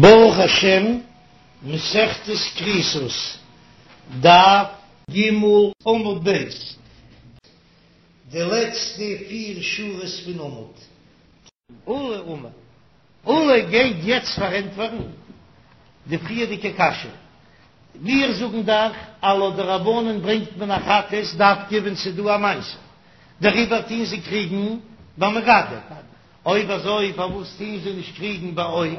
ברוך השם, מסכת כריתות, דף ג' עמוד ב', די לעצטע פיר שורות פון עמוד. עולא אמר, עולא גייט יעצט פארענטפערן די פריערדיגע קשיא. מיר זאגן דאך אז לויט די רבנן ברענגט מען א חטאת דווקא ווען ס'איז דא א מעשה, דעריבער טוהן זיי קריגן ביי מגדף. אויב אזוי פארוואס טוהן זיי נישט קריגן ביי עוף?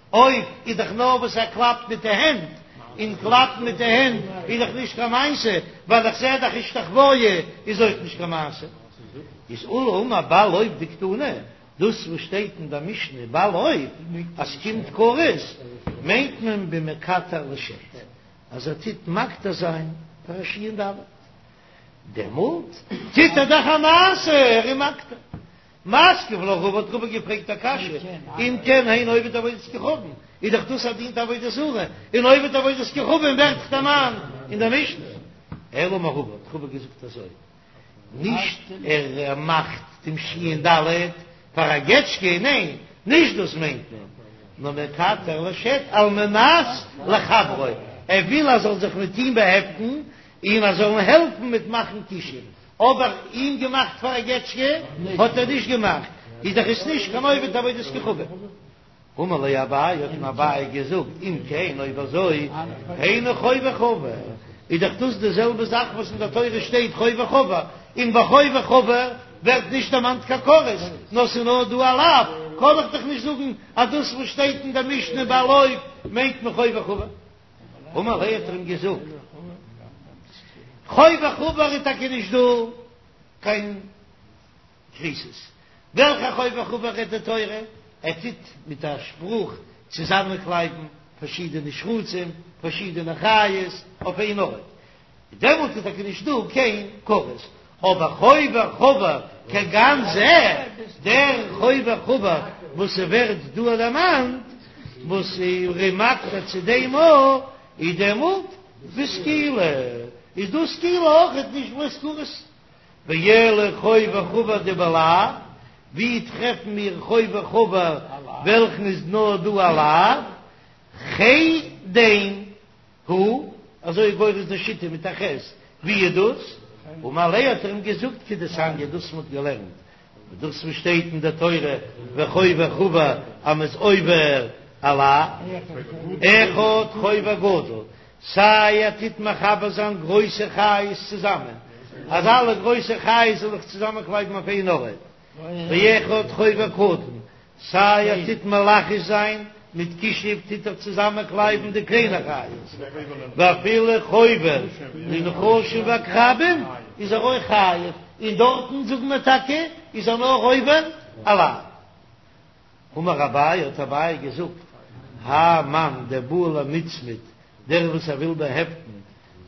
עוף איז דאך נאר וואס ער קלאפט מיט די הענט, און קלאפן מיט די הענט איז דאך נישט קיין מעשה, ווייל איך זעה דאך השתחוויה איז אויך נישט קיין מעשה. איז עולא אמר בעל עוף דקתני, דאס וואס שטייט אין דער משנה בעל עוף אז ס'קומט כרת, מיינט מען במקטר לשד, אז ער טוט מקטיר זיין פאר א שין ד', דעמאלט טוט ער דאך א מעשה, ער איז מקטיר. מתקיף לה רבא האט רבא געפרעגט א קשיא, אם כן היינו עובד עבודת כוכבים, איז דאך דאס ער דינט עבודה זרה, און עובד עבודת כוכבים ווערט דאך דערמאנט אין דער משנה. אלא אמר רבא, האט רבא געזאגט אזוי, נישט ער מאכט דעם שין ד' פאר א געטשקע, ניין, נישט דאס מיינט מען, נאר מקטר לשד על מנת לחברו, ער וויל ער זאל זיך מיט אים באהעפטן, און ער זאל אים העלפן מיט מאכן כישוף. אבער אים געמאכט פאר א געטשקע האט ער נישט געמאכט, איז דאך עס נישט קיין עובד עבודת כוכבים. אמר ליה אביי, האט אים אביי געזאגט, אם כן אויב אזוי, היינו חובר חבר, איז דאך דאס די זעלבע זאך וואס אין דער תורה שטייט חובר חבר, און ביי חובר חבר ווערט נישט דערמאנט קיין כרת, נאר ס'איז נאר דא א לאו, קען איך דאך נישט זאגן אז דאס וואס שטייט אין דער משנה בעל עוף מיינט מען חובר חבר. אמר ליה האט ער אים געזאגט, חובר חבר איז טאקע נישט דא קיין כריתות, וועלכע חובר חבר רעדט די תורה? ער טוט מיט א שפרוך צוזאמענקלייבן פארשידענע שרצים, פארשידענע חיות אויף איין ארט, דעמאלט איז טאקע נישט דא קיין כרת, אבער חובר חבר כגון זה, דער חובר חבר וואס ס'ווערט דא דערמאנט, וואס ער איז מקטיר צו דעם א, איז דעמאלט בסקילה, איז דא סקילה אויכעט נישט בלויז כרת. ואלא חובר חבר דבלאו, ווי טרעפן מיר חובר חבר וועלכן איז נאר דא א לאו? חדן. הוא, אזוי איז גורס די שיטה מיט א ח', ווי איז דאס? אמר ליה האט ער אים געזאגט כדתניא דאס מ'האט געלערנט, דאס וואס שטייט אין די תורה וחובר חבר אז מ'איז עובר א לאו, אחד חובר גדול, סיי ער טוט מחבר זיין גרויסע חיות צוזאמען, אז אלע גרויסע חיות זאל איך צוזאמען קלייבן אויף איין ארט, ואחד חובר קטן, סיי ער טוט מלחש זיין מיט כישוף טוט ער צוזאמען קלייבן די קליינע חיות, ואפילו חובר לנחשים ועקרבים איז ער אויך חייב, און דארטן זאגן מיר טאקע איז ער נאר עובר א לאו. אמר אביי האט אביי געזאגט, האי מאן דבעי למצמד דער וואס ער וויל באהעפטן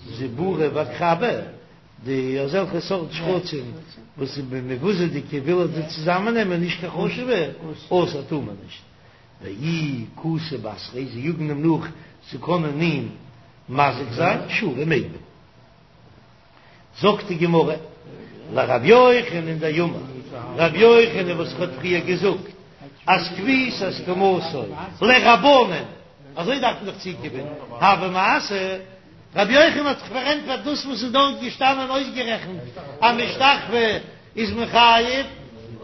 זיבורא ועקרבא, די אזעלכע סארט שקצים וואס איז מבוזה'דיגע וויל ער זיי צוזאמען נעמען נישט קיין חשוב'ע, אסור טאר מען נישט, ואי קאתי בתריה זיי יאגן אים נאך צו קענען אים מזיק זיין, שרי מעג מען. זאגט די גמרא, לר' יוחנן דאמר, ר' יוחנן וואס האט פריער געזאגט אז כפיתת קומתו לרבנן, אזוי דארף מען דאך צוקומען, הוי מעשה, ר' יוחנן האט זיך פארענטפערט דאס וואס איז דארט געשטאנען אויסגערעכנט אז משתחוה איז מען חייב,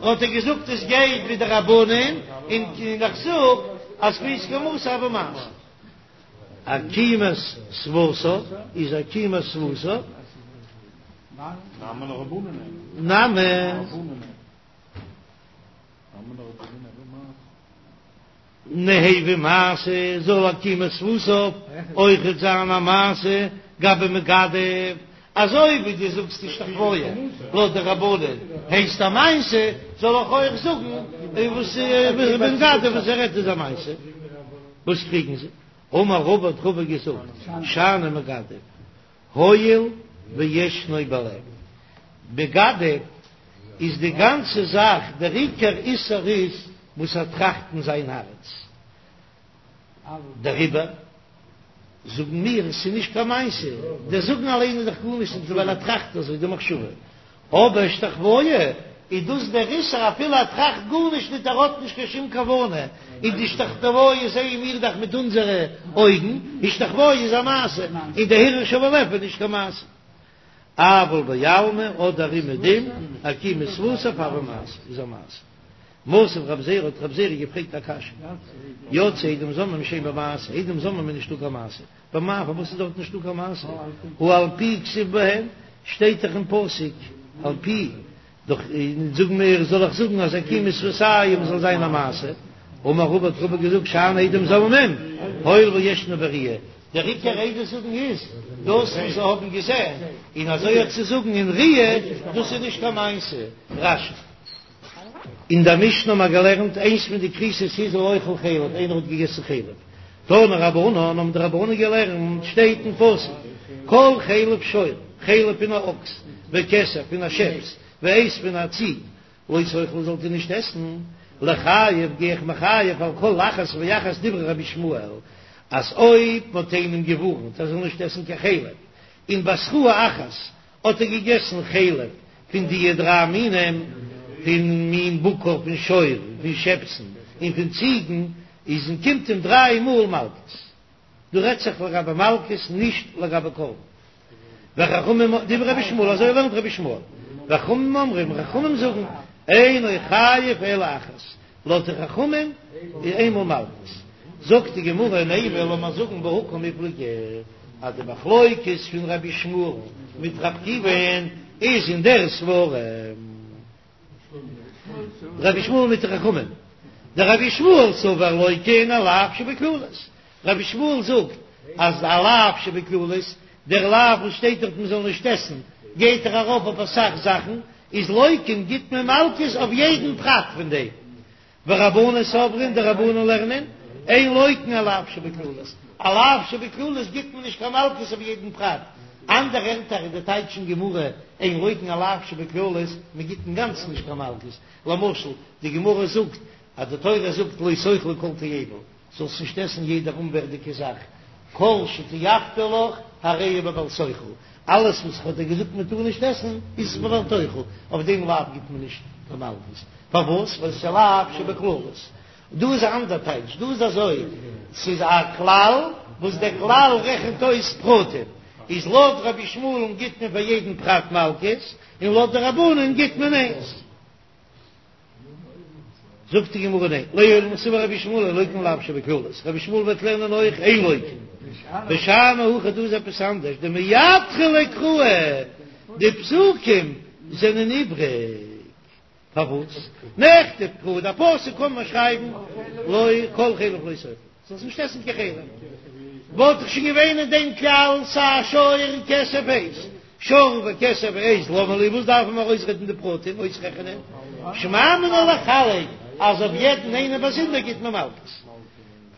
האט ער געזאגט עס גייט ווי די רבנן, און איך זאג אז כפיתת קומתו הוי מעשה. עקימת שפתיו איז עקימת שפתיו נמי. ניהוו מעשה זאל עקימת שפתיו אויכעט זיין א מעשה גבי מגדף, אזוי ווי דו זאגסט השתחוויה לויט די רבנן הייסט א מעשה, זאל איך אויך זאגן וואס מגדף וואס ער רעדט איז א מעשה. וואס קריגן זיי? אמר רבא האט רבא געזאגט, שאני מגדף, הואיל וישנו בלב. מגדף איז די גאנצע זאך, דער עיקר איסור איז וואס ער טראכט אין זיין הארץ. דעריבער זאגן מיר עס איז נישט קיין מעשה, דער זאגן אליין איז דאך גארנישט נישט ווייל ער טראכט אזוי די מחשבה, אבער השתחוויה. איז דאס דער איסור אפילו ער טראכט גארנישט ניט ער האט נישט קיין שום כוונה, און די השתחוואה זעען מיר דאך מיט אונזערע אויגן, השתחוואה איז א מעשה, און די הרהור שבלב איז נישט קיין מעשה. אבל בעלמא אדער אומעדום עקימת שפתיו הוי מעשה איז א מעשה. מתיב רב זירא האט רב זירא געפרעגט א קשיא, יצאו עדים זוממין שאין בו מעשה, עדים זוממין איז נישטא קיין מעשה, במאי פארוואס איז דארט נישטא קיין מעשה? הא על פי כתיב בהן, שטייט דאך אין פסוק על פי, דאך זאג מיר זאל איך זאגן אז עקימת שפתים זאל זיין א מעשה? אמר רבא האט רבא געזאגט שאני עדים זוממין, הואיל וישנה בראיה, דער עיקר עדות זאגן איז דאס וואס זיי האבן געזען, און אזוי אויך צו זאגן אין ראיה, דאס איז נישט קיין מעשה. רש"י. אין דער משנה האבן מיר געלערנט איינס פון די כריתות איז האוכל חלב, איינער האט געגעסן חלב, תנו רבנן האבן די רבנן געלערנט, שטייט אין פסוק, כל חלב שור, חלב פון א אקס, וכשף פון א שעפס, ועז פון א ציג, לא תאכלו זאלט איר נישט עסן, לחייב גיי איך מחייב על כל אחת ואחת דברי רבי ישמעאל, אז אויב מ'האט איינעם געווארנט ער זאל נישט עסן קיין חלב, און בהתראה אחת האט ער געגעסן חלב פון דיע דריי מינים, פון מין בקר, פון שור, פון שעפסן, און פון ציגן, איז און קומט אים דריי מאל מלקות. דא רעדט זיך לגבי מלקות נישט לגבי קרבן. וחכמים דברי רבי ישמעאל אזוי לערנט רבי ישמעאל. וחכמים אומרים, חכמים זאגן, אינו חייב אלא אחת, לויט די חכמים איז איינמאל מלקות. זאגט די גמרא נימא לאמיר זאגן בהא קמיפלגי אז די מחלוקת פון רבי ישמעאל מיט רבי עקיבא'ן איז אין דער סברא. רבי ישמעאל מיט די חכמים. דרבי ישמעאל סבר לוקין על לאו שבכללות. רבי ישמעאל זאגט אז א לאו שבכללות, דער לאו וואס שטייט דארט מען זאל נישט עסן, גייט דאך ארויף אויף אסאך זאכן, איז לוקין גיט מען מלקות אויף יעדן פרט פון דעם. ורבנן סברי די רבנן לערנען, אין לוקין על לאו שבכללות, א לאו שבכללות גיט מען נישט קיין מלקות אויף יעדן פרט, אנדערע ערטער אין די טייטש אין גמרא, אין לוקין על לאו שבכללות, מען גיט אינגאנצן נישט קיין מלקות, למשל די גמרא זאגט אז די תורה זאגט לא תאכלו כל תועבה, זאלסט נישט עסן יעדע אומווערדיגע זאך, כל שתיעבתי לך הרי הוא בבל תאכל, אלעס וואס איך האב דיר געזאגט מען טאר נישט עסן איז עס בבל תאכל, אויף דעם לאו גיט מען נישט קיין מלקות, פארוואס? ווייל ס'איז א לאו שבכללות. דא איז א אנדער טייטש, דא איז אזוי, ס'איז א כלל וואס דער כלל רעכנט אויס פרטים, איז לויט רבי ישמעאל'ן גיט מען פאר יעדן פרט מלקות, און לויט די רבנן גיט מען איינס. זאגט די גמרא ניין, לעולם סבר רבי ישמעאל אין לוקין לאו שבכללות, רבי ישמעאל וועט לערנען אויך אין לוקין, ושאני הכא דא איז עפעס אנדערש, דמידחי ליה קראי, די פסוקים זענען איבריג, פארוואס? נכתוב קרא, די פסוק קען מען שרייבן לא כל חלב לא תאכל. זאלסט נישט עסן קיין חלב, וואלט דאך שוין געווען אין דעם כלל סיי שור און כשף ועז, שור וכשף ועז למה לי, וואס דארף מען ארויסרעדן די פרטים, אויסרעכענען, שמע מינה לחלק אז אויף יעדן איינעם באזונדער גיט מען מלקות.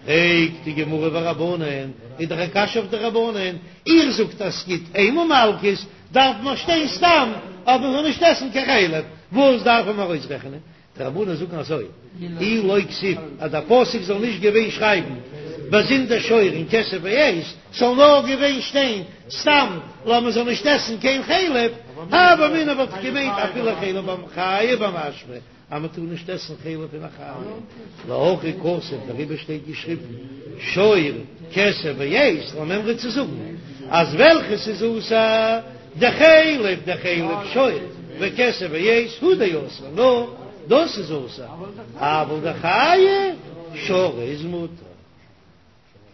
פרעגט די גמרא ורבנן, איז דאך א קשיא אויף די רבנן, איר זאגט אז ס'גיט איינמאל מלקות, דארף מען שטיין סתם אז מען זאל נישט עסן קיין חלב, וואס דארף מען ארויסרעכענען? די רבנן זאגן אזוי, אי לא כתיב, אז דער פסוק זאל נישט געווען שרייבן באזונדער שור און כשף ועז, ס'זאל נאר געווען שטיין סתם אז מען זאל נישט עסן קיין חלב, הוה אמינא וואלט איך געמיינט אפילו חלב בחיה במשמע אז מען טאר נישט עסן חלב פון א חיה, להכי כתיב דעריבער שטייט געשריבן שור כשף ועז, למימרא צו זאגן אז וועלכעס איז אסור דחלב דחלב שור וכשף ועז הוא דאסור, נאר דאס איז אסור, אבל דחיה שריר איז מותר.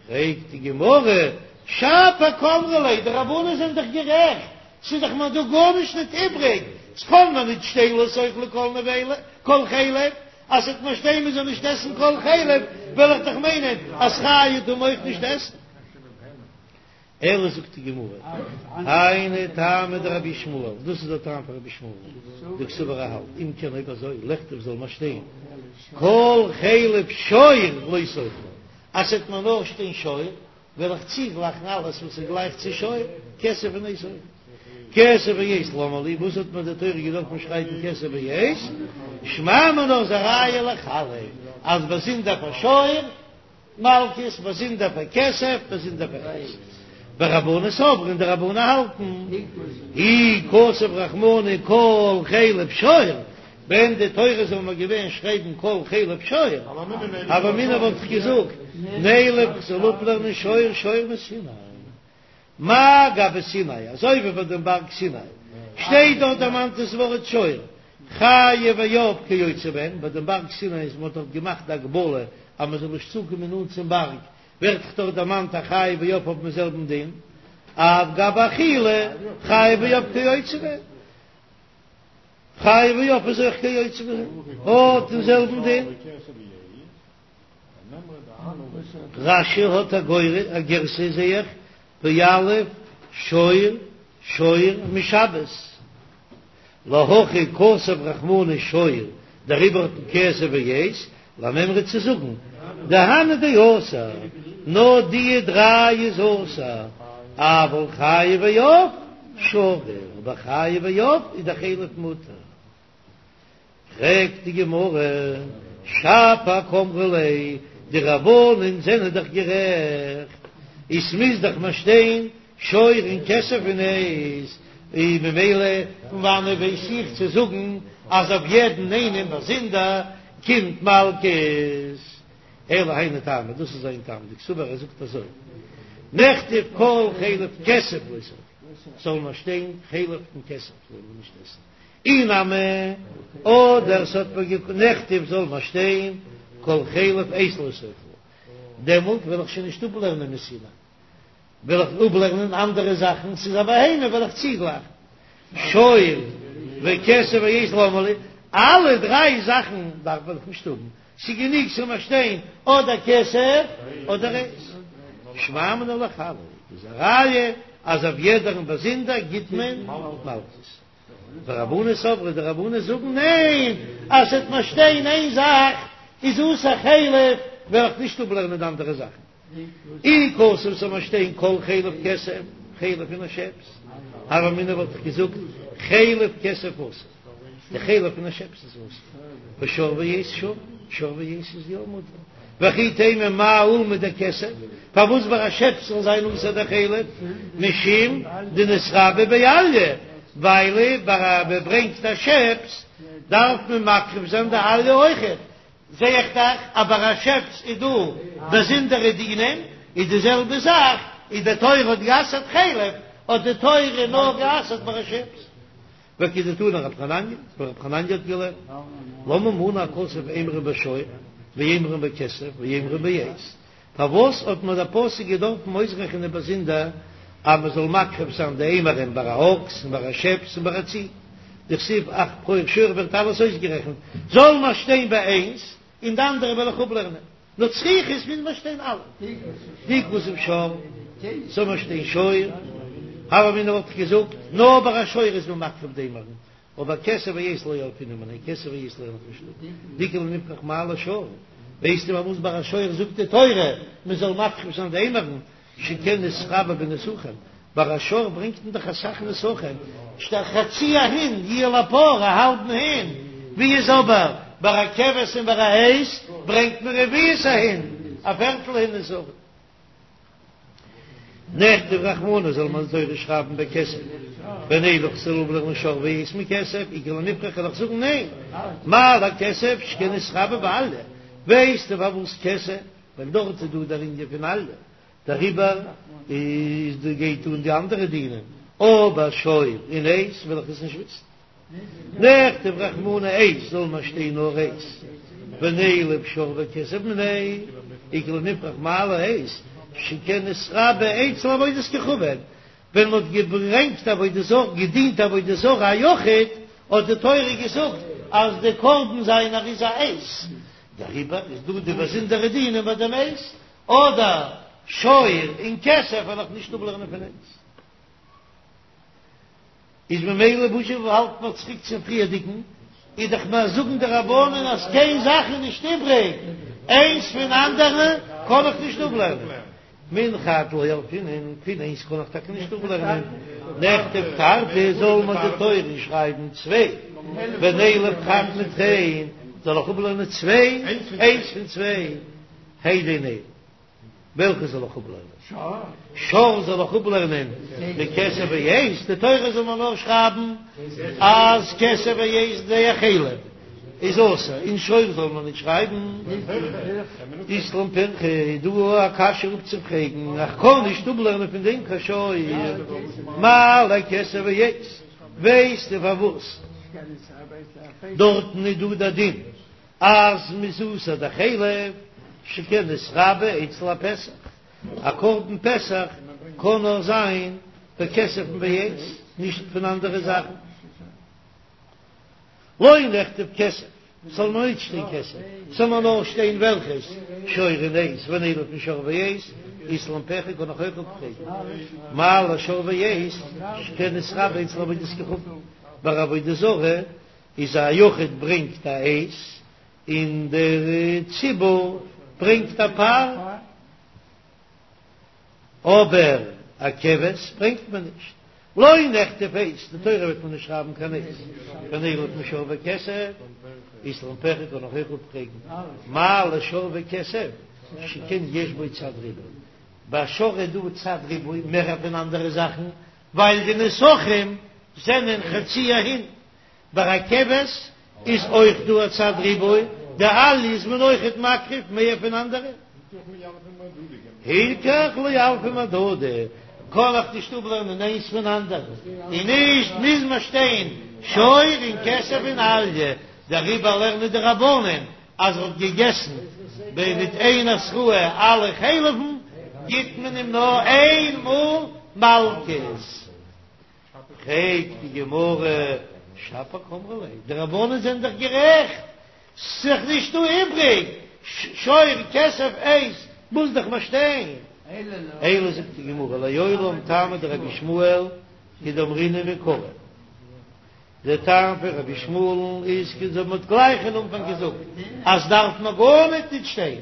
פרעגט די גמרא, שפיר קאמרי ליה, די רבנן זענען דאך גערעכט, ס'איז דאך מיר דא גארנישט ניט איבריג, ס'קען מיר ניט שטיין לא תאכלו כל נבילה, כל חלב, אז ס'וועט מיר שטיין מ'זאל נישט עסן כל חלב, וועל איך דאך מיינען אז חיה טאר מען אויך נישט עסן. אלא זאגט די גמרא, היינו טעמא דרבי ישמעאל, דאס איז דער טעם פון רבי ישמעאל, דקסבר ער האלט, אם כן אויב אזוי, לכתוב זאל מען שטיין כל חלב שור לא תאכלו, אז ס'וועט מיר נאר שטיין שור, וועל איך צוגלייכן אלעס וואס איז גלייך צו שור, כשף און עז אויך. כשף ועז למה לי, וואס האט מיר די תורה געדארפן שרייבן כשף ועז? שמע מינה איז א ראיה לחלק, אז באזונדער פאר שור, מלקות, באזונדער פאר כשף, באזונדער פאר עז. ורבנן סברי און די רבנן האלטן, אי כתב רחמנא כל חלב שור. ווען די תורה זאל מיר געווען שרייבן כל חלב שור, הוה אמינא וואלט איך געזאגט, נילף כ'זאל אפלערנען שור שור מסיני. מה גבי סיני, אזוי ווי ביי דעם בארג סיני, שטייט דארט דערמאנט דאס ווארט שור, חיה ועוף כיוצא בהן, ביי דעם בארג סיני איז מען האט דארט געמאכט די הגבלה אז מען זאל נישט צוקומען נאנט צום בארג, ווערט דאך דארט דערמאנט א חיה ועוף האבן דעם זעלבן דין, אף גבי אכילה, חיה ועוף כיוצא בהן. חיה ועוף איז אויך כיוצא בהן, האט דעם זעלבן דין. רש"י האט א גור א גירסא זעה איך, ויליף שור שור משבת, להכי כתב רחמנא שור, דעריבער האט מען כסף ועץ, למימרא צו זאגן דהני דאסור, נאר די דריי איז אסור, אבל חיה ועוף שרי, אבער חיה ועוף איז דער חלב מותר. פרעגט די גמרא, שפיר קאמרי ליה, די רבנן זענען דאך גערעכט, עס מוז דאך מיר שטיין שור און כשב און עז, און ממילא פון וואנעט ווייס איך צו זאגן אז אויף יעדן איינעם באזונדער קומט מלקות? אלא היינו טעמא, דאס איז זיין טעם, דקסבר ער זאגט אזוי, נכתוב כל חלב כשב לא תאכלו, זאל נאר שטיין חלב און כשב זאל מען נישט עסן, אי נמי, אדער ס'האט מיר געק נכתוב זאל מיר שטיין כל חלב עז לא תאכלו, דעמאלט וועל איך שוין נישט אפלערנען מסיני, וועל איך אפלערנען אנדערע זאכן, ס'איז א בהמה וועל איך צוגלייכן שור וכשב ועז למה לי, אלע דריי זאכן דארף איך נישט האבן, ס'איז גענוג ס'זאל מיר שטיין אדער כשב אדער עז. שמע מינה לחלק איז א ראיה אז אויף יעדערן באזונדער גיט מען מלקות. ורבנן סברי די רבנן זאגן ניין אז ס'וועט מיר שטיין איין זאך איז אסור חלב וועל איך נישט אפלערנען די אנדערע זאכן. אי כתב ס'זאל מיר שטיין כל חלב כשב, חלב פון א שעפס, הוה אמינא וואלט איך געזאגט חלב כשב אסור, די חלב פון א שעפס איז אסור, ושור ועז שרי, שור ועז איז יא מותר, וכי תימא מאי אולמיה דכשב, פארוואס ביי א שעפס זאל זיין אסור די חלב, משום דנתרבה באליה, ווייל ביי א מען ברענגט א שעפס דארף מען מקריב זיין די אליה אויכעט, זע איך דאך אז ביי א שעפס איז דא באזונדערע דינים, איז די זעלבע זאך, איז די תורה האט גע'אסר'ט חלב, האט די תורה נאר גע'אסר'ט ביי א שעפס. וכדתני רב חנניה, ווי רב חנניה האט געלערנט, למה מנה הכתוב אימורין בשור, ואימורין בכשב, ואימורין בעז, פארוואס האט מיר דער פסוק געדארפן אויסרעכענען באזונדער אז מען זאל מקריב זיין די אימורים ביי א אקס און ביי א שעפס און ביי א ציג? דכתיב אך בכור שור ווערט אלעס אויסגערעכנט, זאל מיר שטיין ביי איינס און די אנדערע וועל איך אפלערנען, נאר צריכא מוז מיר שטיין אלע. דאי כתב שור, זאל מיר שטיין שור, הוה אמינא וואלט איך געזאגט, נאר ביי א שור איז מען מקריב די אימורים, אבער כשב ועז לא ילפינן מיניה, כשב ועז לערן איך נישט אפ, דאיכא לנפרך מאי לשור, ווייסטו פארוואס ביי א שור זאגט די תורה מען זאל מקריב זיין די אימורין, שכן נתרבה בנסכים, ביי א שור ברענגט מען דאך אסאך נסכים, שטייט חצי ההין יהיה לפר, א האלבן הין, ווי איז אבער ביי א כבש און ביי א עז ברענגט מען רביעית ההין, א פערטל הין נסכים. נכתוב רחמנא זאל מען די תורה שרייבן בכשב ונילף כ'זאל אפלערנען שור ועז מכשב איכא למיפרך וועל איך זאגן ניין מה לכשב שכן נתרבה באליה ווייסטו פארוואס כשב ווייל דארט איז דא דער ענין פון אליה דעריבער איז דא גייט אן די אנדערע דינים אבער שור און עז וועל איך עס נישט וויסן. נכתוב רחמנא עז זאל מיר שטיין נאר עז ונילף שור וכשב מיניה איכא למיפרך מאי לעז שכן נתרבה אצל עבודת כוכבים ווען מ'האט געברענגט עבודה זרה געדינט עבודה זרה א יחיד האט די תורה געזאגט אז די קרבן זיינער איז א עז דעריבער איז דא די באזונדערע דינים ביי דעם עז אדער שור און כשב וועל איך נישט אפלערנען פון עז. איז ממילא וואס זשע האלט מען צוריק צום פריערדיגן, איז דאך מיר זאגן די רבנן אז קיין זאך איז נישט איבריג, איינס פון אנדערע קען איך נישט אפלערנען, מן חד לא ילפינן, פון איינס קען איך טאקע נישט אפלערנען, נכתוב תרתי זאל מיר די תורה שרייבן צוויי, ונילף חד מתרין, זאל איך אפלערנען צוויי, איינס פון צוויי, העדה נ. וועלכע זאל איך אפלערנען? שור זאל איך אפלערנען מכשב ועז? די תורה זאל מיר נאר שרייבן אז כשב ועז די חלב. איז אסור, און שור זאל מען נישט שרייבן. אית לן פירכא איז דא א קשיא אפצופרעגן, איך קען נישט אפלערנען פון דעם קיין שור. מה לכסף ועץ, ווייסטו פארוואס דארטן איז דא דער דין אז מ'איז אוסר די חלב, שכן נתרבה אצל הפסח, א קרבן פסח קען נאר זיין בכסף און בעץ, נישט פון אנדערע זאכן. לא נכתוב כסף, ס'זאל נאר נישט שטיין כסף, ס'זאל נאר נאר שטיין וועלכעס, שור און עז, ונילף משור ועז, אית לן פירכא קען איך אויך אפפרעגן, מה לשור ועז, שכן נתרבה אצל עבודת כוכבים, ביי עבודה זרה איז א יחיד ברענגט א עז, און דער ציבור ברענגט א פר. אבער א כבש ברענגט מען נישט. לא נכתוב עז, די תורה וועט מען נישט שרייבן קיין עז, ונילף משור וכסף, אית לן פירכא קען איך אויך אפפרעגן, מה לשור וכסף, שכן יש בו צד ריבוי, ביי שור איז דא צד ריבוי מער פון אנדערע זאכן, ווייל די נסכים זענען חצי ההין, ביי א כבש איז אויך דא א צד ריבוי, די אליה איז מען אויכעט מקריב מער פון אנדערע. הילכך לא ילפי מהדדי, קען איך נישט אפלערנען איינס פון אנדערן, און נישט מוז מען שטיין שור און כסף און אליה, דעריבער לערנען די רבנן אז ער האט געגעסן מיט איין התראה אלע חלב'ן, גיט מען אים נאר איין מאל מלקות. פרעגט די גמרא, שפיר קאמרי ליה, די רבנן זענען דאך גערעכט, ס'איז דאך נישט דא איבריג, שור כסף עז מוז דאך מען שטיין. אלא זאגט די גמרא, לעולם טעמא דרבי ישמעאל כדאמרינן מעיקרא, דער טעם פון רבי ישמעאל'ן איז כ מ'האט גלייך אין אנפאנג געזאגט אז דארף מען גארניט נישט שטיין,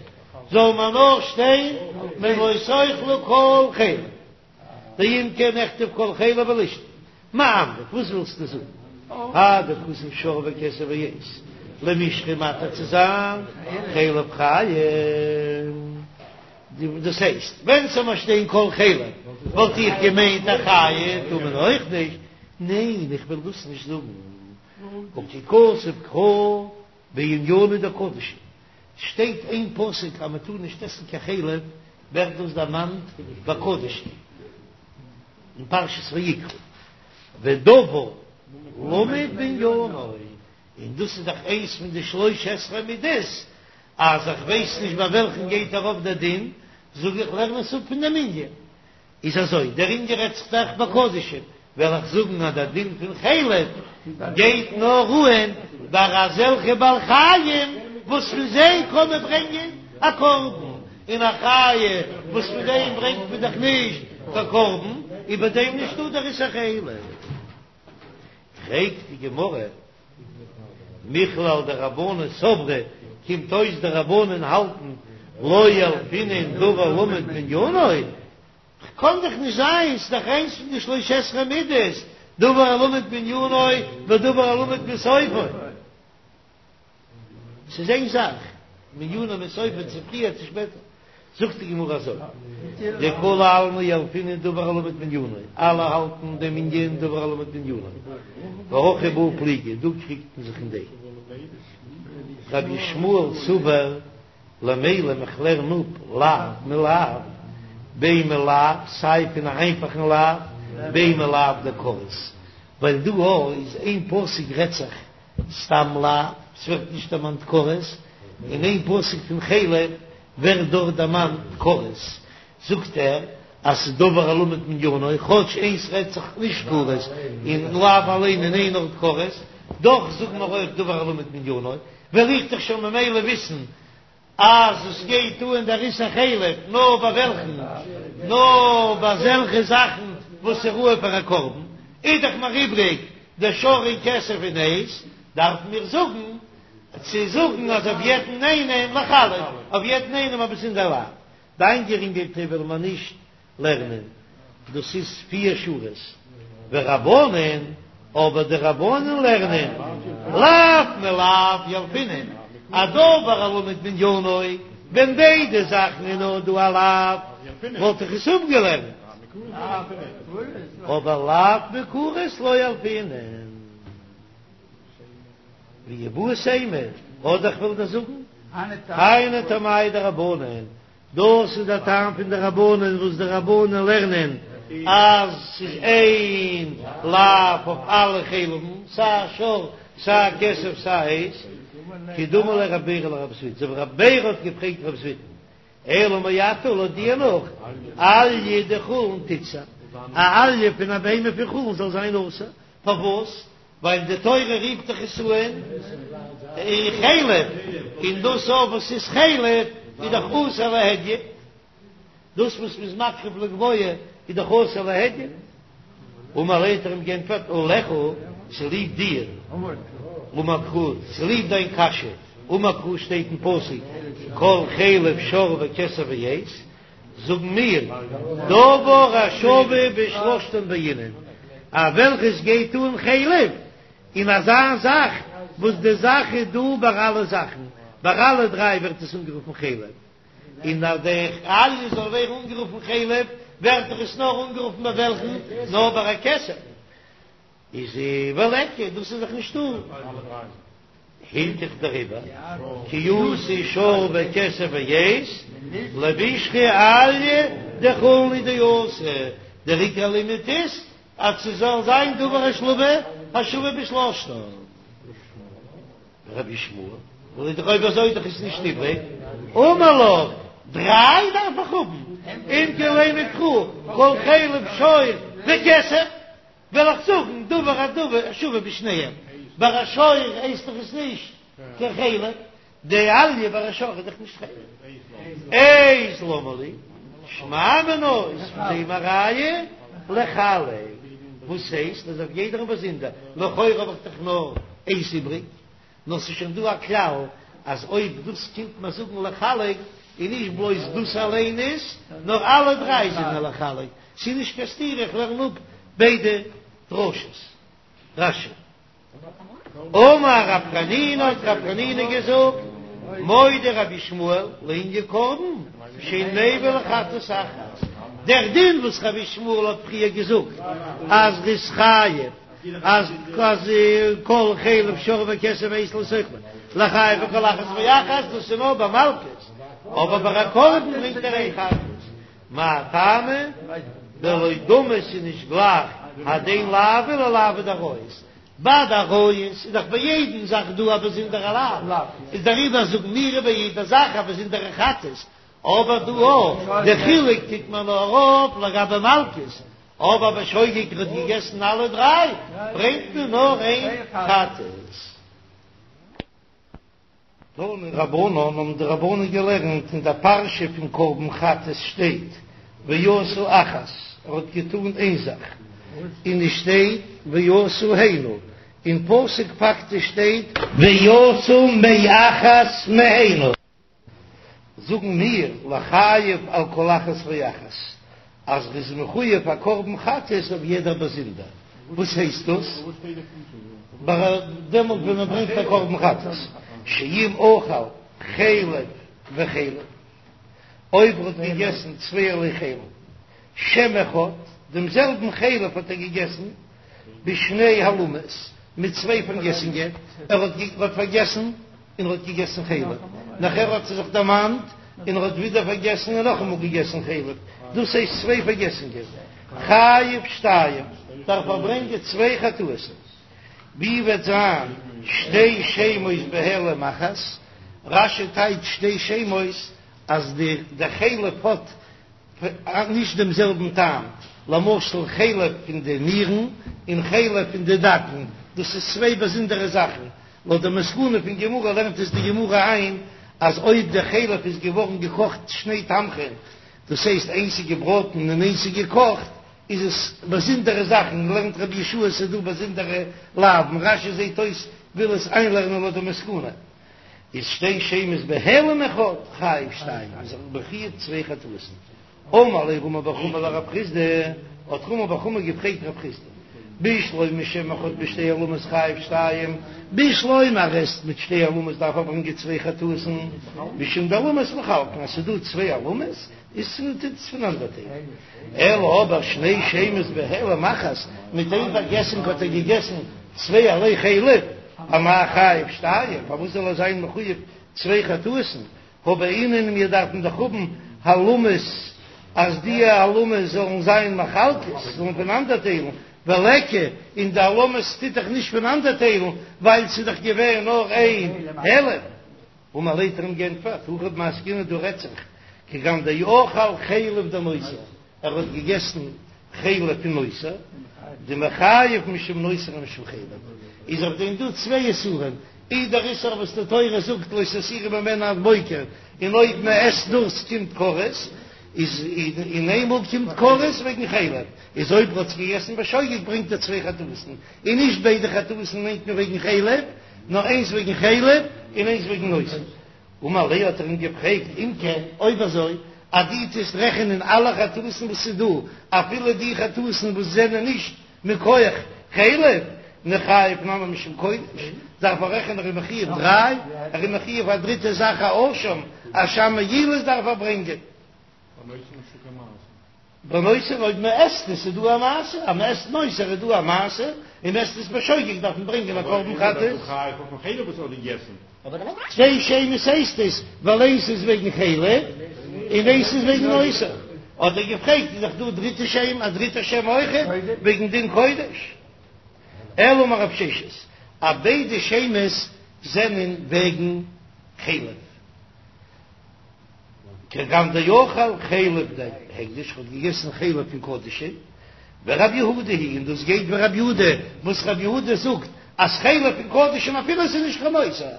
זאל מען נאר שטיין מלא תאכלו כל חלב. ואם כן נכתוב כל חלב ולישתוק. מאי אמרת, וואס ווילסטו זאגן? האי דכתב שור וכסף ועז, למישרי מתיר צו זיין חלב חיה. דאס הייסט, ווען ס'זאל נאר שטיין כל חלב, וואלט איך געמיינט א חיה טאר מען אויך נישט. ניין, איך וויל דאס נישט זאגן. הא כי כתב קרא בענינא דקדשים. שטייט אין פסוק אז מען טאר נישט עסן קיין חלב, ווערט דאס דערמאנט ביי קדשים אין פרשת ויקרא, ודבר למוד בענינו, און דאס איז דאך איינס פון די שלש עשרה מידות, אז איך ווייס נישט ביי וועלכן גייט ארויף דער דין, זאג איך לערן עס אפ פון דעם ענין. איז אזוי, דער ענין רעדט זיך דאך ביי קדשים, וועל איך זאגן אז דער דין פון חלב גייט נאר אהן ביי אזעלכע בעלי חיים וואס פון זיי קען מען ברענגען א קרבן, און א חיה וואס פון דעם ברענגט מען דאך נישט קיין קרבן, איז ביי דעם נישטא דער איסור חלב. פרעגט די גמרא, מכלל דרבנן סברי, קומט אויס די רבנן האלטן לא ילפינן דבר למוד מעניינו, קאן דאך נישט זיין, ס'איז דאך איינס פון די שלש עשרה מידות, דבר הלמד מעניינו ודבר הלמד מסופו. ס'איז איין זאך, מעניינו מסופו צו פריער צו שפעטער. זאגט די גמרא אזוי, דכולי עלמא ילפינן דבר הלמד מעניינו, אלע האלטן דעם ענין דבר הלמד מעניינו, והכא בהא פליגי, דא קריגט מען זיך אין דעם. רבי ישמעאל סבר למילם איך לערן אפ לאו מלאו, בין מלאו סיי פון א איינפאכן לאו, בין מלאו דכרת, ווייל דא איז איין פסוק רעדט זיך סתם לאו, ס'ווערט נישט דערמאנט כרת, און איין פסוק פון חלב ווערט דארט דערמאנט כרת, זאגט ער אז ס'איז דבר הלמד מעניינו, כאטש איינס רעדט זיך נישט כרת, און לאו אליין אין איין ארט כרת, דאך זאגן מיר אויך דבר הלמד מעניינו, וועל איך דאך שוין ממילא וויסן אז עס גייט אן דער איסור חלב נאר ביי וועלכן? נאר ביי אזעלכע זאכן וואס איז ראוי פאר א קרבן, איז דאך מיר איבריג דער שור און כסף און עז, דארפן מיר זאגן צו זאגן אז אויף יעדן איינעם לחלף, אויף יעדן איינעם א באזונדער לאו, די איינגערינגעלטע וועלן מיר נישט לערנען, דאס איז פיר שורות, ורבנן, אבער די רבנן לערנען, לאו מלאו ילפינן, א דבר הלמד מעניינו, ווען ביידע זאכן איז נאר דא א לאו, וואלט איך עס אפגעלערנט, אבער לאו מכרת לא ילפינן. ואיבעית אימא, אדער איך וועל דיר זאגן, היינו טעמייהו דרבנן, דאס איז דער טעם פון די רבנן וואס די רבנן לערנען אז ס'איז איין לאו אויף אלע חלב'ן, סיי שור סיי כשב סיי עז, כדאמר ליה רב בירא לרב זביד, אזוי ווי רב בירא האט געפרעגט רב זביד'ן, אלא מעתה לויט דיר נאך, אליה דחולין תיתסר, א אליה פון א בהמה פון חולין זאל זיין אסור, פארוואס? ווייל די תורה רופט דאך עס אן חלב, און דאס אויף וואס איז חלב איז דאך אסור להדיוט, דאס וואס מ'איז מקריב לגבוה איז דאך אסור להדיוט. אמר ליה האט ער אים גענטפערט עליך צוליב דיר, אמר קרא צוליב דיין קשיא, אמר קרא שטייט אין פסוק כל חלב שור וכשב ועז, זאגן מיר, דבר השווה בשלושתן בעינן, אז וועלכעס גייט אן חלב אין אזא זאך וואס די זאך איז דא ביי אלע זאכן, ביי אלע דריי ווערט עס אנגערופן חלב, און אז די אליה זאל ווערן אנגערופן חלב, ווערט דאך עס נאר אנגערופן ביי וועלכן? נאר ביי א כשב. איז וליכא, דאס איז דאך נישטא. הילכך דעריבער, כי אתא שור וכשב ועז, למישרי אליה דחולין הוא דאתא, דער עיקר לימוד איז אז ס'זאל זיין דבר השלמה השווה בשלושתן. רבי ישמעאל, וויל איך דאך אויב אזוי דאך איז נישט איבריג, אמר לך, דריי דארף איך האבן, אם כן לימא קרא כל חלב שור וכשב. וועל איך זאגן דבר הדבר השווה בשניהם, ביי א שור הייסט דאך עס נישט קיין חלב, די אליה ביי א שור איז דאך נישט חלב. עז למה לי, שמע מינה איז פון דעם א ראיה לחלק, וואס הייסט אז אויף יעדערן באזונדער, לכאורה האב איך דאך נאר איינס איבריג, נאר ס'איז שוין דא א כלל אז אויב דאס קומט מען זאגן לחלק איז נישט בלויז דאס אליין איז, נאר אלע דריי זענען לחלק, ס'איז נישט קיין סתירה איך לערן אפ ביידע דרשות. רש"י. אמר רב חנינא האט רב חנינא געזאגט, מודה רבי ישמעאל לענין קרבן שאין מביא לחטאת אחת, דער דין וואס רבי ישמעאל האט פריער געזאגט אז ר'איז חייב אז אז כל חלב שור וכשב ועז לא תאכלו לחייב על כל אחת ואחת דאס איז נאר ביי מלקות, אבער ביי א קרבן ברענגט ער איין חטאת, מאי טעמא דלא דמי ס'איז נישט גלייך הדין לאוין ללאוי דעריות, ביי די עריות איז דאך ביי יעדן זאך דא א באזונדערע לאו, איז דעריבער זאגן מיר ביי יעדע זאך א באזונדערע חטאת, אבער דא אויך, די חילוק טוט מען נאר אויף לגבי מלקות, אבער בשוגג ער האט געגעסן אלע דריי, ברענגט מען נאר איין חטאת. תנו רבנן האבן די רבנן געלערנט אין דער פרשה פון קרבן חטאת שטייט ועשו אחת, ער האט געטאן איין זאך, און עס שטייט ועשו הנה, אין פסוק פאקטיש שטייט ועשו מאחת מהנה. זאגן מיר לחייב על כל אחת ואחת אז ר'איז מחויב א קרבן חטאת אויף יעדער באזונדער, וואס הייסט דאס? דעמאלט ווען מען ברענגט א קרבן חטאת, שאם אכל חלב וחלב, אויב ר'האט געגעסן צווייערליי חלב, שם אחד, דעם זעלבן חלב האט ער געגעסן בשני העלמות, מיט צוויי פארגעסונגען, ער האט פארגעסן און ער האט געגעסן חלב, נאכער האט ער זיך דערמאנט און ער האט ווידער פארגעסן און נאכאמאל געגעסן חלב, דאס הייסט צוויי פארגעסונגען, חייב שתיים, דארף ער ברענגען צוויי חטאות'ן. ווי וועט זיין שתי שמות בהעלם אחת? רש"י טייטשט שתי שמות אז די די חלב האט נישט דעם זעלבן טעם, למשל חלב פון די נירן און חלב פון די דגן, דאס איז צוויי באזונדערע זאכן, לויט די מסקנא פון גמרא לערנט עס די גמרא איין אז אויב די חלב איז געווארן געקאכט שני תמחין, דאס הייסט איינס איז געבראטן און איינס איז געקאכט, איז עס באזונדערע זאכן, לערנט רבי יהושע עס איז דא באזונדערע לאווין, רש"י זעט אויס וויל עס איינלערנען לויט די מסקנא. איז שתי שמות בהעלם אחד חייב שתיים איז ער מחויב צוויי חטאות'ן. אמר ליה רמי בר חמא לרב חסדא, האט רמי בר חמא געפרעגט רב חסדא, בשלמא שם אחד בשתי העלמות חייב שתיים, בשלמא ער עסט מיט שתי העלמות דארף ער ברענגען צוויי חטאות'ן, משום דהעלמות מחלקין אז ס'איז דא צוויי העלמות איז טוט עס פונאנדערטיילן, אלא אבער שני שמות בהעלם אחת, מיט איין פארגעסונג האט ער געגעסן צווייערליי חלב. אמאי חייב שתיים, פארוואס זאל ער זיין מחויב צוויי חטאת'ן, הא בעינן מיר דארפן דאך האבן העלמות אז די העלמות זאלן זיין מחלקות, זאלן פונאנדערטיילן, וליכא, און די העלמות טוט דאך נישט פונאנדערטיילן ווייל ס'איז דאך געווען נאר איין העלם. אמר ליה האט ער אים געענטפערט, הכא במאי עסקינן דא רעדט זיך כגון דאכל חלב דנותר, ער האט געגעסן חלב פון נותר, דמיחייב משום נותר ומשום חלב, איז אויף דעם דא צוויי איסורים, אי דער איסור וואס די תורה זאגט לא תותירו ממנו עד בוקר, און אויב מען עסט דאס קומט כרת, איז און איינמאל קומט כרת וועגן חלב, איז אויב ער האט עס געגעסן בשוגג ברענגט ער צוויי חטאת'ן, און נישט ביידע חטאת'ן מיינט מען וועגן חלב, נאר איינס וועגן חלב און איינס וועגן נותר. אמר ליה האט ער אים געפרעגט, אם כן, אויב אזוי, אז דו טוסט רעכענען אלע חטאת'ן וואס איז דא, אפילו די חטאת'ן וואס זענען נישט מכח חלב, ניחייב נמי משום קודש, דארף ער רעכענען ער איז מחויב דריי, ער איז מחויב א דריטע זאך א אשם, אשם מעילות דארף ער ברענגען. בנותר אויב מען עסט עס איז דא א מעשה, אז מען עסט נותר איז דא א מעשה, און מען עסט עס בשוגג דארף מען ברענגען א קרבן חטאת. צוויי שמות הייסט עס, ווייל איינס איז וועגן חלב און איינס איז וועגן נותר. האט ער געפרעגט איז דאך דא דריטע שם, א דריטע שם אויכעט וועגן דין קודש. אלא אמר רב ששת, אז ביידע שמות זענען וועגן חלב. כגון דאכל חלב דהקדש, האט געגעסן חלב פון קדשים, ורב יהודה היא, און דאס גייט ווי רב יהודה, וואס רב יהודה זאגט אז חלב פון קדשים אפילו עס איז נישט קיין נותר,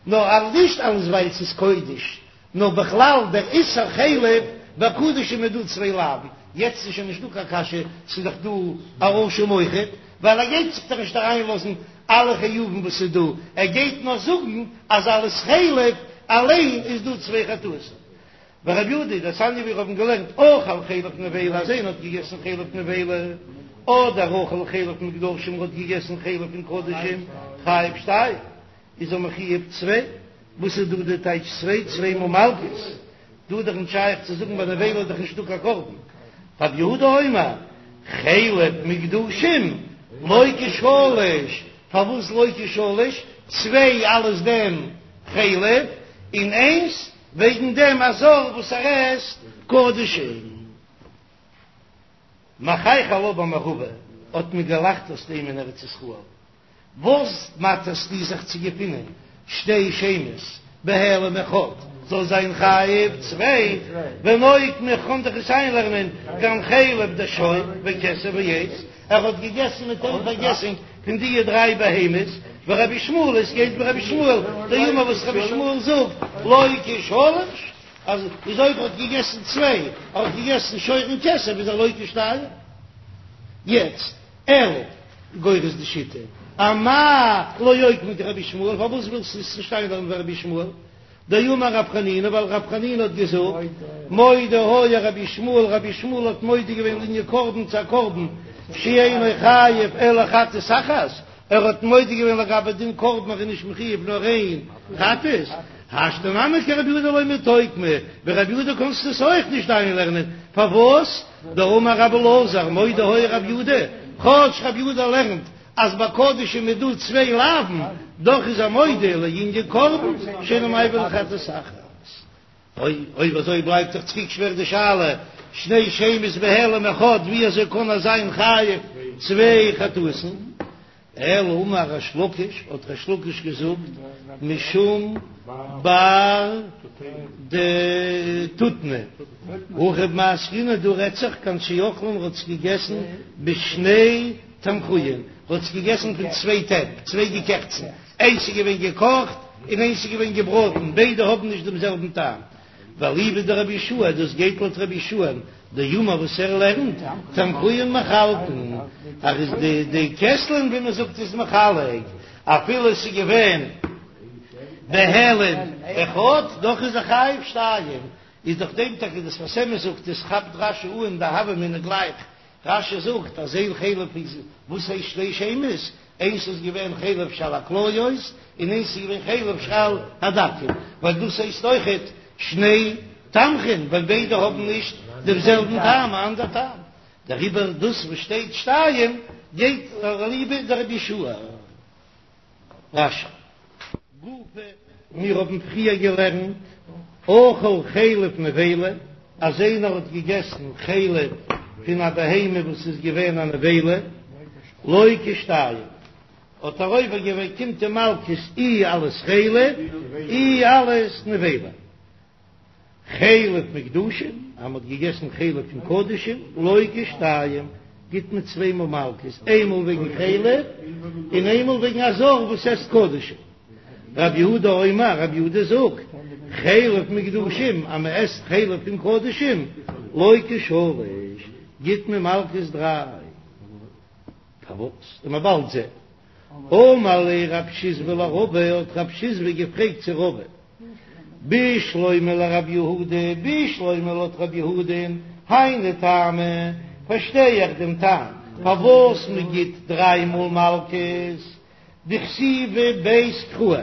נאר אז נישט אלעס ווייל עס איז קודש, נאר בכלל דער איסור חלב בקדשים איז דא צוויי לאווין, יעצט איז שוין נישט דא קיין קשיא, ס'איז דאך דא א אשם אויכעט, ווייל ער גייט זיך דאך נישט אריינלאזן אלע חיובים וואס איז דא, ער גייט נאר זאגן אז אלס חלב אליין איז דא צוויי חטאות. ורב יהודה דתניא ווי מיר האבן געלערנט אכל חלב נבילה אז איינער האט געגעסן חלב נבילה, אדער אכל חלב מוקדשים האט געגעסן חלב פון קדשים חייב שתיים איז ער מחויב צוויי, וואס איז דא די טייטש צוויי? צוויי מאל מלקות. דא איז דאך נישט שייך צו זאגן ביי נבילה איז דאך נישטא קיין קרבן. רב יהודה אומר, חלב מוקדשים לוקה שלש, פארוואס לוקה שלש? צוויי אלס דעם חלב, און איינס וועגן דעם א זר וואס ער עסט קדשים. מחייכי עלה במערבא האט מען געלאכט אויס דעם אין ארץ ישראל. וואס מאטערסטו זיך צו געפינען שתי שמות בהעלם אחד זאל זיין חייב צוויי ונוקמה כ'קען דאך עס איינלערנען כגון חלב דשור וכשף ועז ער האט געגעסן מיט איין פארגעסונג פון דיע דריי בהמות ורבי ישמעאל עס גייט ווי רבי ישמעאל דאמר וואס רבי ישמעאל זאגט לוקה שלש אז איז אויב ער האט געגעסן צוויי ער האט געגעסן שור און כשף איז ער לוקה שתיים יעצט אלא גורס די שיטה, אמאי לא אוקמה כרבי ישמעאל, פארוואס ווילסטו עס נישט איינלערנען ווי רבי ישמעאל? דאמר רב חנינא, ווייל רב חנינא האט געזאגט, מודה היה רבי ישמעאל, רבי ישמעאל האט מודה געווען לענין קרבן צו א קרבן שאינו חייב אלא חטאת אחת, ער האט מודה געווען לגבי דין קרבן ער איז נישט מחויב נאר איין חטאת, השתא נמי כרבי יהודה לא מיתוקמא, ווי רבי יהודה קענסטו עס אויך נישט איינלערנען, פארוואס? דאמר רבי אלעזר מודה היה רבי יהודה, כאטש רבי יהודה לערנט אז ביי קדשים איז דא צוויי לאווין, דאך איז ער מודה לענין קרבן שאינו מעביר אלא חטאת אחת. אויב אזוי בלייבט דאך צוריק שווער די שאלה, שני שמות בהעלם אחד, ווי אזוי קען ער זיין חייב צוויי חטאת'ן? אלא אמר ריש לקיש, האט ריש לקיש געזאגט, משום בר דתותנא, הכא במאי עסקינן, דא רעדט זיך כגון שאכלן האט עס געגעסן בשני תמחויין, האט עס געגעסן פון צוויי טעפ, צוויי געקעכצן, איינס איז געווען געקאכט און איינס איז געווען געבראטן, ביידע האבן נישט דעם זעלבן טעם. ואליבא דרבי יהושע, דאס גייט לויט רבי יהושע דאמר וואס ער לערנט, תמחויין מחלקין, אז איז די די קעסלען ווי מען זאגט איז מחלק, אפילו עס איז געווען בהעלם אחד, דאך איז ער חייב שתיים, איז דורך דעם טאקע דער שפת אמת זאגט עס כאפט רש"י אן די הוה אמינא גלייך, רש"י זאגט אז אין חלב איז וואס הייסט שתי שמות, איינס איז געווען חלב שעל הכליות און איינס איז געווען חלב שעל הדקים, ווייל דאס הייסט אויכעט שני תמחין, ווייל ביידע האבן נישט דעם זעלבן טעם, א אנדער טעם, דעריבער דאס וואס שטייט שתיים גייט אליבא דרבי יהושע. רש"י. גופא, מיר האבן פריער געלערנט, אכל חלב נבילה, אז איינער האט געגעסן חלב פון א בהמה וואס איז געווען א נבילה, לוקה שתיים, האט ער עובר געווען, קומט אים מלקות אי אלס חלב אי אלס נבילה. חלב מוקדשין, אז מען האט געגעסן חלב פון קדשים, לוקה שתיים, גיט מען צוויי מאל מלקות, איינמאל וועגן חלב און איינמאל וועגן א זר וואס עסט קדשים. רב יהודה אומר, רב יהודה זאגט, חלב מוקדשין, אז מען עסט חלב פון קדשים, לוקה שלש, גיט מען מלקות דריי. פארוואס? וועט מען באלד זען. אמר ליה רב שיזבי לרבא, האט רב שיזבי געפרעגט צו רבא, בשלמא לרב יהודה, בשלמא לויט רב יהודה'ן, היינו טעמא, פארשטיי איך דעם טעם פארוואס מען גיט דריי מאל מלקות, דכתיבי ביה קראי,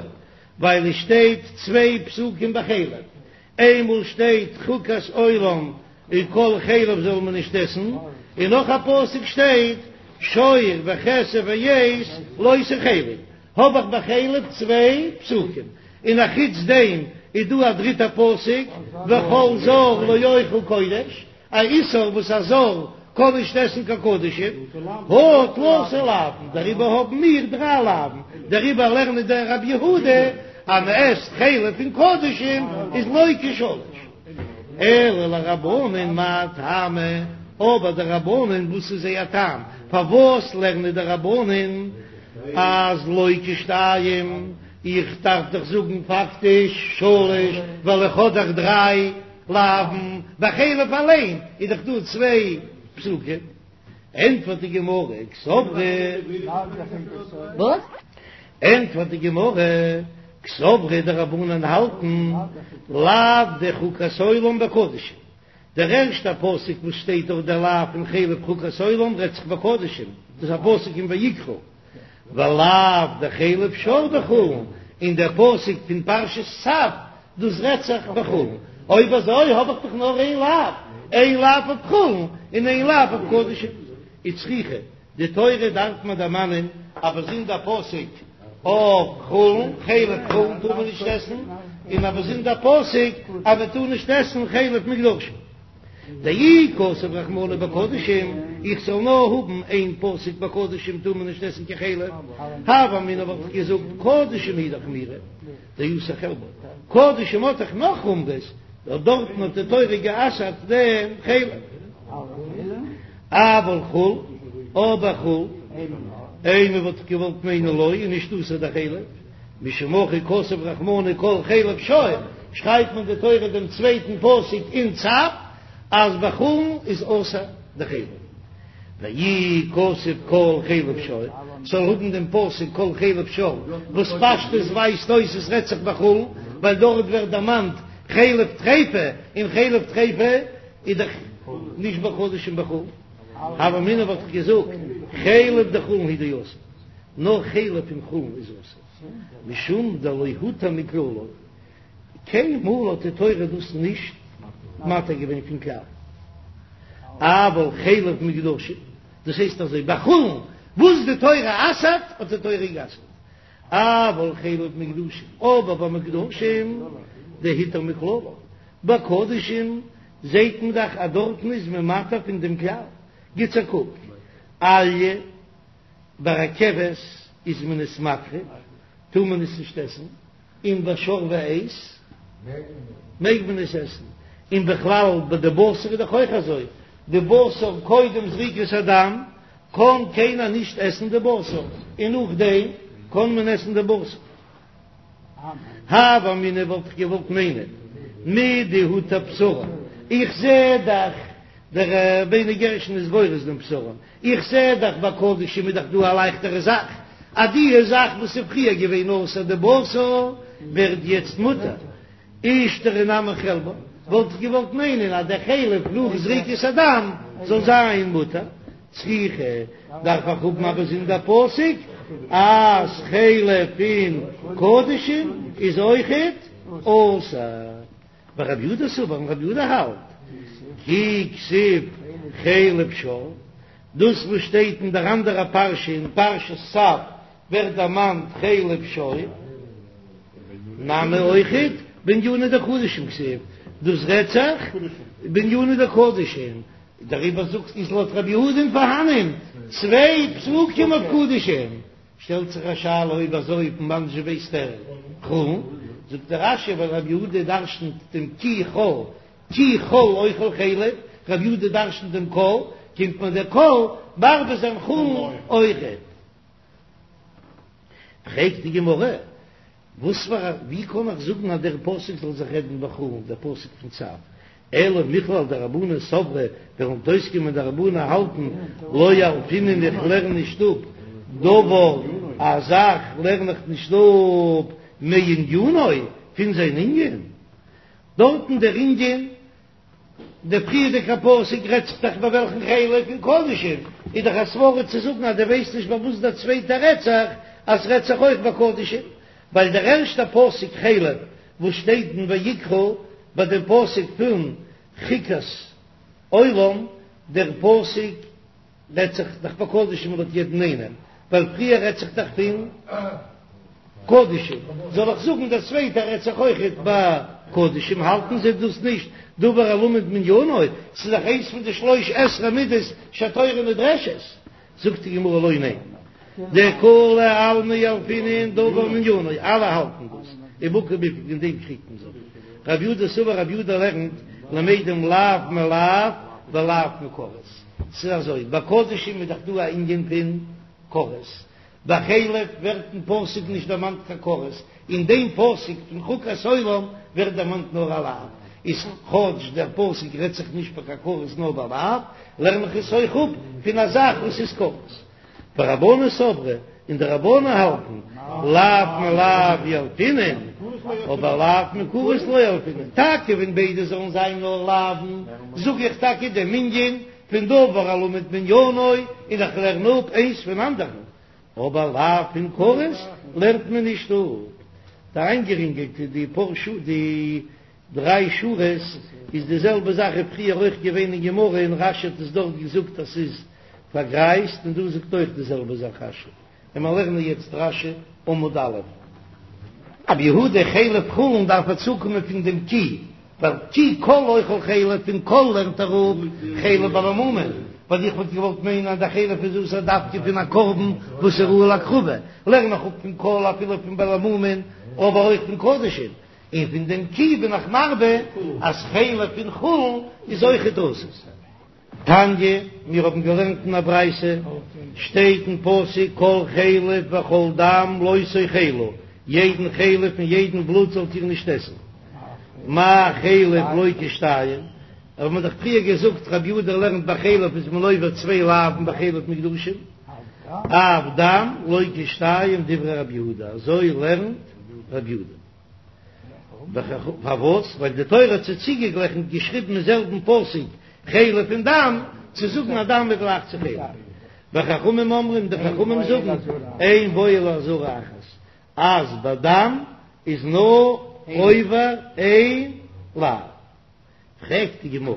ווייל עס שטייט צוויי פסוקים בחלב, איינמאל שטייט חוקת עולם און כל חלב זאל מען נישט עסן, און נאך א פסוק שטייט שור וכשב ועז לא תאכלו, האב איך ביי חלב צוויי פסוקים, און א חוץ דעם איז דא א דריטע פסוק וכל זר לא יאכל קודש, א איסור וואס א זר קען נישט עסן קיין קדשים, הא תלתא לאוין, דעריבער האבן מיר דריי לאוין, דעריבער לערנט דער רב יהודה אז מען עסט חלב פון קדשים איז לוקה שלש, אלא לרבנן מאי טעמא, אבער די רבנן וואס איז זייער טעם פארוואס לערנען די רבנן אז לוקה שתיים, איך דארף דאך זאגן פאקטיש שלש ווייל איך האב דאך דריי לאוין, ביי חלב אליין איז דאך דא צוויי פסוקים, ענטפערט די גמרא, קסברי, וואס? ענטפערט די גמרא, קסברי די רבנן האלטן לאו דחוקת עולם בקדשים, דער ערשטער פסוק וואס שטייט דארט דער לאו פון חלב חוקת עולם רעדט זיך בקדשים, דאס איז א פסוק אין ויקרא, ולאו דחלב שור בחולין, און דער פסוק פון פרשת צו דאס רעדט זיך בחולין, אויב אזוי האב איך דאך נאר איין לאו, איין לאו אויף חולין און איין לאו אויף קדשים, וצריכא, די תורה דארף מען דערמאנען א באזונדער פסוק אויף חולין, חלב חולין טאר מען נישט עסן, און א באזונדער פסוק אז מען טאר נישט עסן חלב מוקדשין. דאי כתב רחמנא בקדשים, איך זאל נאר האבן איין פסוק בקדשים טאר מען נישט עסן קיין חלב, הוה אמינא וואלט איך געזאגט קדשים הוא דחמירא דאסור חלבו, קדשים האט דאך נאך חומרות, נאר דארטן האט די תורה גע'אסר'ט דעם חלב. אבל חולין, אבער חולין, אימא וואלט איך געוואלט מיינען לא איז נישט אסור די חלב, משום הכי כתב רחמנא כל חלב שור, שרייבט מען די תורה דעם צווייטן פסוק אין צו אז ביי חולין איז אסור די חלב. ואי כתב כל חלב שור, זאל האבן דעם פסוק כל חלב שור, וואס פשטות ווייזט אויס עס רעדט זיך בחולין, ווייל דארט ווערט דערמאנט חלב טריפה, און חלב טריפה איז דאך נישט בקדשים בחולין. הוה אמינא וואלט איך געזאגט חלב דחולין הוא דאסור, נאר חלב פון חולין איז אסור, משום דלא הותר מכללא, קיינמאל האט די תורה דאס נישט מתיר געווען פון כלל. אבל חלב מוקדשין, דאס הייסט אזוי ביי חולין וואס די תורה אסר'ט האט די תורה גע'אסר'ט, אבל חלב מוקדשין, אבער ביי מוקדשין דהותר מכללא, ביי קדשים זעהט מען דאך אז דארטן איז מען מתיר פון דעם כלל, גיטס א קוק, אליה ביי א כבש איז מען עס מקריב, טאר מען עס נישט עסן, און ביי שור ועז מעג מען עס עסן, און בכלל ביי די בשר איז דאך אויך אזוי, די בשר קודם זריקת הדם קען קיינער נישט עסן די בשר, און נאכדעם קען מען עסן די בשר. הוה אמינא וואלט איך געוואלט מיינען מדהותר בשרן, איך זע דאך דער רבינו גרשון איז גורס דעם בשרן, איך זע דאך ביי קדשים איז דאך דא א לייכטערע זאך, אז די זאך וואס איז פריער געווען אסור די בשר ווערט יעצט מותר, אישתרי נמי חלבן, וואלט איך געוואלט מיינען אז דער חלב נאך זריקת הדם זאל זיין מותר, צריכא דארף איך האבן א באזונדער פסוק אז חלב פון קדשים איז אויכעט אסור. ורב יהודה סבר און רב יהודה האלט כי כתיב חלב שור, דאס וואס שטייט אין דער אנדערע פרשה אין פרשת צו. ווערט דערמאנט חלב שור, נמי אויכעט בענינא דקדשים כתיב, דאס רעדט זיך בענינא דקדשים, דעריבער זאגט איז לויט רבי יהודה'ן פארהאנען צוויי פסוקים אויף קדשים, שטעלט זיך א שאלה אויב אזוי פון וואנען זשע ווייסט ער חולין, זאגט דער רש"י ווייל רבי יהודה דרשנ'ט דעם כי כל כי כל אוכל חלב, רבי יהודה דרשנ'ט דעם כל, קומט מיר דער כל מרבה זיין חולין אויכעט. פרעגט די גמרא, וואס פאר א, ווי קען איך זאגן אז דער פסוק זאל זיך רעדן בחולין, דער פסוק פון צו, אלא מכלל דרבנן סברי, וועלן אויסקומען די רבנן האלטן לא ילפינן איך לערן נישט אפ דבר, א זאך לערן איך נישט אפ מענינו, פון זיין ענין, דארטן דער ענין דער פריערדיגער פסוק רעדט זיך דאך ביי וועלכן חלב פון קדשים, איז דאך א סברא צו זאגן אז דו ווייסט נישט ביי וואס דער צווייטער רעדט זיך, אז ס'רעדט זיך אויך ביי קדשים, ווייל דער ערשטער פסוק חלב וואס שטייט אין ויקרא ביי דעם פסוק פון חוקת עולם, דער פסוק רעדט זיך דאך ביי קדשים לויט יעדן איינעם, ווייל פריער רעדט זיך דאך פון קדשים, זאל איך זאגן דער צווייטער רעדט זיך אויכעט ביי קדשים, האלטן זיי דאס נישט דבר הלמד מענינו, ס'איז דאך איינס פון די שלש עשרה מידות שהתורה נדרשת, זאגט די גמרא לא ניין, דכולי עלמא ילפינן דבר מענינו, אלע האלטן דאס, ובהא קמיפלגי אין דעם קריגט מען זיך, רב יהודה סבר רב יהודה לערנט למדים לאו מלאו ולאו מכרת. ס'איז אזוי, ביי קדשים איז דאך דא א ענין פון כרת, ביי חלב ווערט אין פסוק נישט דערמאנט קיין כרת, אין דעם פסוק פון חוקת עולם ווערט דערמאנט נאר א לאו, איז כאטש דער פסוק רעדט זיך נישט ביי קיין כרת נאר ביי לאו, לערן איך עס אויך אפ פון א זאך וואס איז כרת. ורבנן סברי, און די רבנן האלטן, לאו מלאו ילפינן, אבער לאו מכרת לא ילפינן, טאקע ווען ביידע זאלן זיין נאר לאווין, זאג איך טאקע דעם ענין פון דבר הלמד מענינו, און איך לערן אפ איינס פון אנדערן, אבער לאו פון כרת לערנט מען נישט אפ. די איינגערינגלטע די פאר שו די דריי שורות איז די זעלבע זאך איז פריער אויך געווען אין גמרא און רש"י האט עס דארט געזאגט אז ס'איז פארגרייזט און דא זאגט אויך די זעלבע זאך רש"י און מיר לערנען יעצט רש"י עמוד א'. רבי יהודה חלב חולין דארף ער צוקומען פון דעם כי, ווייל כי כל אוכל חלב פון כל לערנט ער אפ חלב בעלי מומין, ווייל איך וואלט געוואלט מיינען אז די חלב איז אסור דווקא פון א קרבן וואס איז ראוי להקרבה, לערן איך אפ פון כל אפילו פון בעלי מומין אבער אויך פון קדשים. און פון דעם כי בין איך מרבה אז חלב פון חולין איז אויכעט אסור. תניא, מיר האבן געלערנט אין א ברייתא, שטייט אין פסוק כל חלב וכל דם לא תאכלו, יעדן חלב און יעדן בלוט זאלט איר נישט עסן. מה חלב לוקה שתיים, האבן מיר דאך פריער געזאגט רבי יהודה לערנט ביי חלב איז מען עובר צוויי לאווין ביי חלב מוקדשים, אף דם לוקה שתיים דברי רבי יהודה, אזוי לערנט רבי יהודה. פארוואס? ווייל די תורה האט זיי צוגעגליכנט געשריבן אין זעלבן פסוק חלב און דם, צו זאגן אז דם איז גלייך צו חלב. וחכמים אומרים, די חכמים זאגן, אין בו אלא אזהרה אחת, אז ביי דם איז נאר עובר איין לאו. פרעגט די גמרא,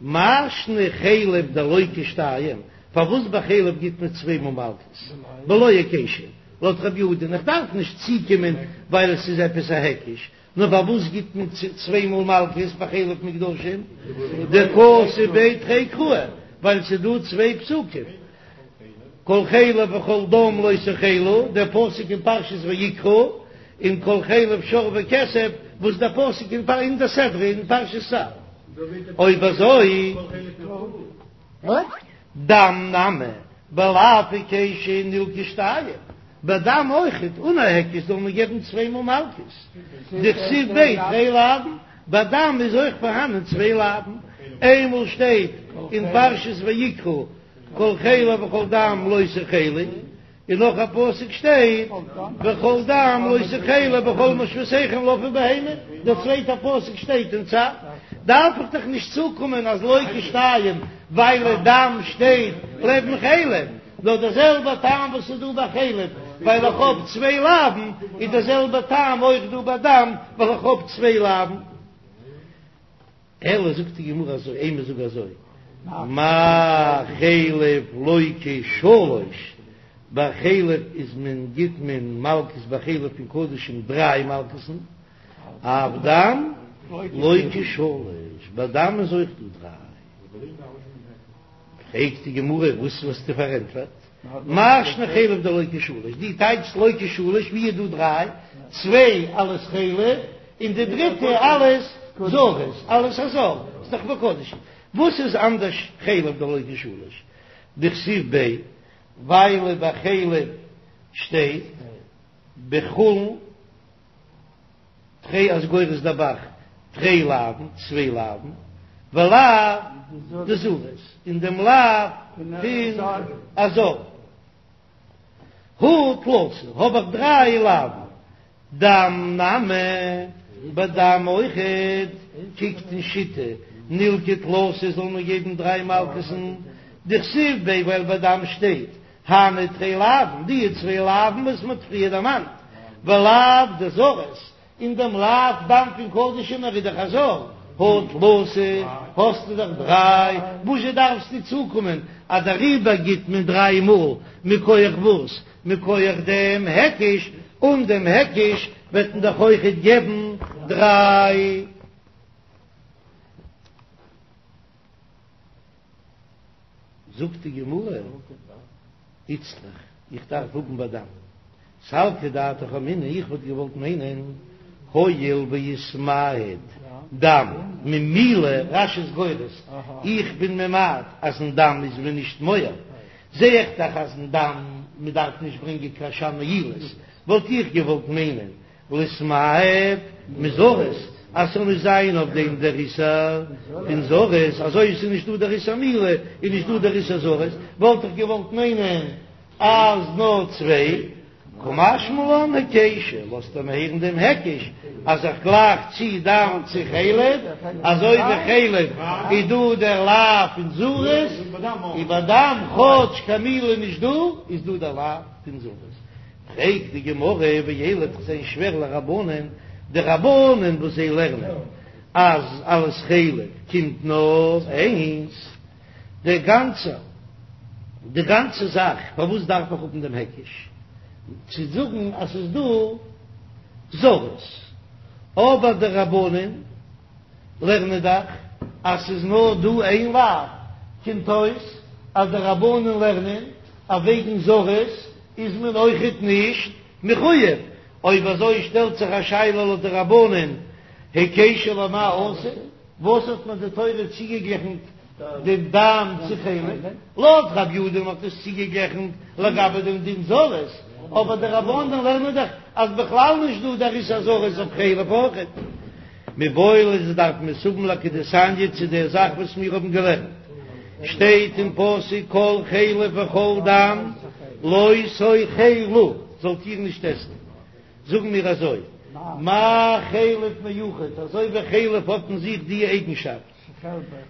מאי שנא חלב דלוקה שתיים, פארוואס ביי חלב גיט מען צוויי מאל מלקות? בלא היקשא, לויט רבי יהודה, איך דארף נישט צוקומען ווייל עס איז עפעס א היקש, נאר פארוואס גיט מען צוויי מאל מלקות ביי חלב מוקדשים? דכתיב ביה תרי קראי, ווייל ס'איז דא צוויי פסוקים, כל חלב וכל דם לא תאכלו, דער פסוק אין פרשת ויקרא, און כל חלב שור וכשב, וואס דער פסוק אין די סדרה אין פרשת צו. אויב אזוי, דם נמי, בלאו היקשא נילקו שתיים, ביי דם אויכעט, אן א היקש זאל מען געבן צוויי מאל מלקות, דכתיב ביה תרי לאוין, ביי דם איז אויך פארהאנען צוויי לאוין, איינמאל שטייט אין פרשת ויקרא כל חלב וכל דם לא תאכלו, און נאך א פסוק שטייט וכל דם לא תאכלו בכל מושבותיכם לעוף ולבהמה, דער צווייטער פסוק שטייט אין צו, דארף איך דאך נישט צוקומען אז לוקה שתיים ווייל דם שטייט לעבן חלב, נאר דער זעלבער טעם וואס איז דא ביי חלב ווייל איך האב צוויי לאווין, איז דער זעלבער טעם אויך דא ביי דם ווייל איך האב צוויי לאווין. אלא זאגט די גמרא אזוי, אימא זאג אזוי, מה חלב לוקה שלש? ביי חלב איז מען גיט מען מלקות ביי חלב פון קדשים דריי מלקות'ן, אף דם לוקה שלש, ביי דם איז אויך דא דריי. פרעגט די גמרא וואס האסטו פארענטפערט? מאי שנא חלב דלוקה שלש, דו טייטשסט לוקה שלש ווי איז דא דריי? צוויי אלס חלב און די דריטע אלס זרות, אלס א זר, איז דאך ביי קדשים. וואס איז אנדערש חלב דלוקה שלש דכתיב ביה, ווייל ביי חלב שטייט בחולין תרי איז גורס דער ב"ח תרי לאוין, צוויי לאוין, ולאו דזרות, און דעם לאו פון א זר. הא תלתא, האב איך דריי לאוין, דם נמי, ביי דם אויכעט, קוקט אין שיטה, נילקי תלתא זאל מען געבן דריי מלקות'ן, דכתיב ביה ווייל ביי דם שטייט הני תרי לאוין, די צוויי לאוין וואס מ'האט פריער דערמאנט, ולאו דזרות, און דעם לאו דם פון קדשים ער איז דאך א זר, הא תלתא, האסטו דאך דריי, וואזשע דארפסטו צוקומען אז דעריבער גיט מען דריי מאל, מכח וואס? מכח דעם היקש, אן דעם היקש וועט מען דאך אויכעט געבן דריי. זאגט די גמרא, איצטריך, איך דארף האבן ביי דם, סלקא דעתך אמינא, איך וואלט געוואלט מיינען, הואיל ואיתמעט דם ממילה, רש"י איז גורס, איך בין ממעט אז אין דם איז מען נישט מועל, זע איך דאך אז אין דם מען דארף נישט ברענגען קיין אשם מעילות, וואלט איך געוואלט מיינען ליתמעט מזרות, אז ס'זאל נישט זיין אויף דעם דער איסור פון זרות, אזוי ווי ס'איז נישט דא דער איסור מילה איז נישט דא דער איסור זרות, וואלט איך געוואלט מיינען אז נאר צוויי, קא משמע לן היקשא, לאזט ער מיר הערן דעם היקש אז איך גלייך צו דם צו חלב, אזוי ווי חלב איז דא דער לאו פון זרות, און ביי דם כאטש קיין מילה איז נישט דא, איז דא דער לאו פון זרות. פרעגט די גמרא ואלא וועט זיין שווער לרבנן, די רבנן וואס זיי לערנען אז אלס חלב קומט נאר איינס, די גאנצע די גאנצע זאך פארוואס דארף איך האבן דעם היקש צו זאגן אז ס'איז דא זרות, אבער די רבנן לערנען דאך אז ס'איז נאר דא איין לאו, קומט אויס אז די רבנן לערנען אז וועגן זרות איז מען אויכעט נישט מחויב, אויב אזוי שטעלט זיך א שאלה לויט די רבנן, היקשא למאי אתא, וואס האט מען די תורה צוגעגליכנט דעם דם צו חלב? לויט רב יהודה האט עס צוגעגליכנט לגבי דעם דין זרות, אבער די רבנן לערנען דאך אז בכלל נישט דא דער איסור זרות אויף חלב אויכעט. מיבעי ליה דארף מען עס האבן לכדתניא צו דער זאך וואס מיר האבן געלערנט, שטייט אין פסוק כל חלב וכל דם לא תאכלו, זאלט איר נישט עסן, זאגן מיר אזוי, מה חלב מיוחד, אזוי ווי חלב האט אין זיך די אייגנשאפט,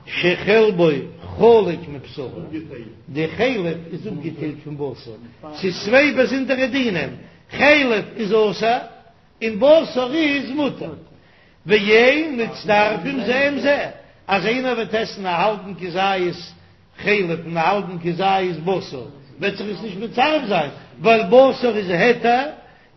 שחלבו חלוק מבשרו, די חלב איז אפגעטיילט פון בשר, ס'איז צוויי באזונדערע דינים, חלב איז אסור און בשר איז מותר, ואין מצטרפים זה עם זה, אז איינער וועט עסן א האלבן כזית חלב און א האלבן כזית בשר, וועט זיך עס נישט מצרף זיין, ווייל בשר איז היתר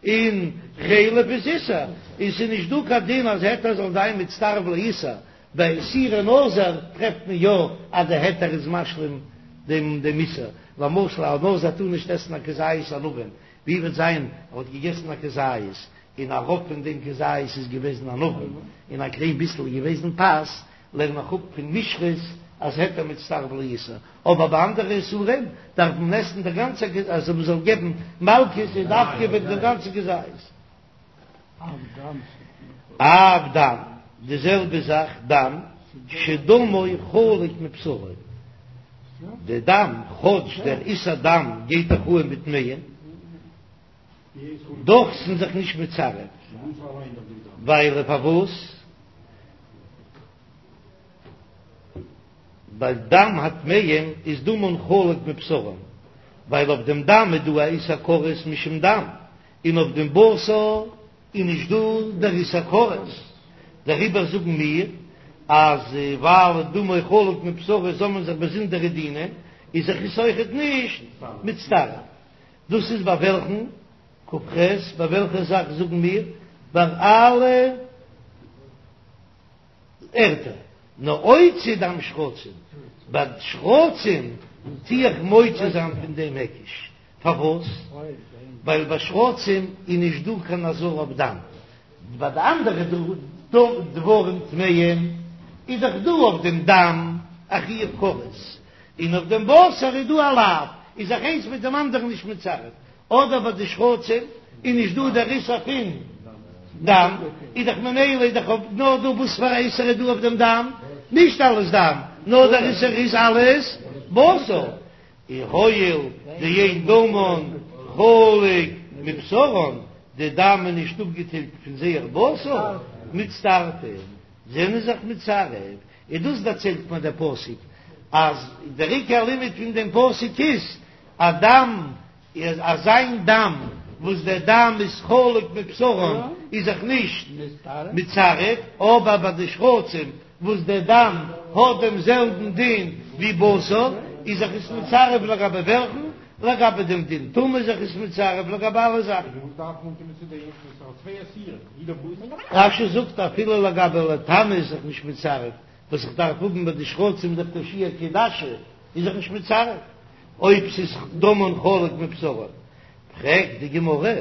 און חלב איז איסור, און ס'איז נישט דא קיין דין אז היתר זאל זיין מצטרף לאיסור, ביי איסורי נזיר טרעפט מען יא אז די היתר איז משלים דעם דעם איסור, למשל א נזיר טאר נישט עסן א כזית ענבים, ווי וועט זיין ער האט געגעסן א כזית און א רוב פון דעם כזית איז געוועזן ענבים און א קליין ביסל איז געוועזן פת, לערן איך אפ פון משחת אז היתר מצטרף לאיסור, אבער ביי אנדערע איסורים דארף מען עסן די גאנצע כזית, אז מען זאל געבן מלקות איז דווקא וועגן דעם גאנצן כזית. אף דם, די זעלבע זאך דם, שדמו חלוק מבשרו, די דם, כאטש דער איסור דם גייט דאך אן מיט טמאים, דאך זענען זיך נישט מצרף, ווייל פארוואס? ווייל דם הטמאים איז דמן חלוק מבשרם, ווייל אויף דעם דם איז דא א איסור כרת משום דם, און אויף דעם בשר איז נישט דא דער איסור כרת, דעריבער זאגן מיר אז ווייל דמו חלוק מבשרו זאל מען זיך באזונדערע דינים, איז זיך עס אויכעט נישט מצטרף. דאס איז ביי וועלכן כ"ח, ביי וועלכע זאך זאגן מיר ביי אלע ערטער, נאר אוציא דם שרצים, ביי שרצים טו איך מוציא זיין פון דעם היקש, פארוואס? ווייל ביי שרצים איז נישט דא קיין אזהרה אויף דם, ביי די אנדערע דברים טמאים איז דאך דא אויף דעם דם א חיוב כרת, און אויף דעם בשר איז דא א לאו, איז זיך איינס מיט דעם אנדערן נישט מצרף, אדער ביי די שרצים איז נישט דא דער איסור פון דם, איז דאך ממילא איז דאך נאר דא וואס פאר א איסור איז דא אויף דעם דם, נישט אלעס דם, נאר דער איסור איז אלעס בשר, און הואיל דאין דמן חלוק מבשרן, די דם איז נישט אפגעטיילט פון זייער בשר, מצטרפין, זענען זיך מצרף, און דאס דערציילט מיר דער פסוק אז דער עיקר לימוד פון דעם פסוק איז אז דם איז אזא דם וואס דער דם איז חלוק מבשרם איז זיך נישט מצרף, אבער ביי די שרצים וואס דער דם האט דעם זעלבן דין ווי בשר איז זיך עס מצרף לגבי וועלכן? לגבי דעם דין טומאה איז זיך עס מצרף לגבי אלע זאכן. רש"י זאגט אפילו לגבי לטמא איז זיך נישט מצרף, וואס איך דארף האבן ביי די שרצים דאך דער שיעור כעדשה איז זיך נישט מצרף אויב ס'איז דמן חלוק מבשרן, פרעגט די גמרא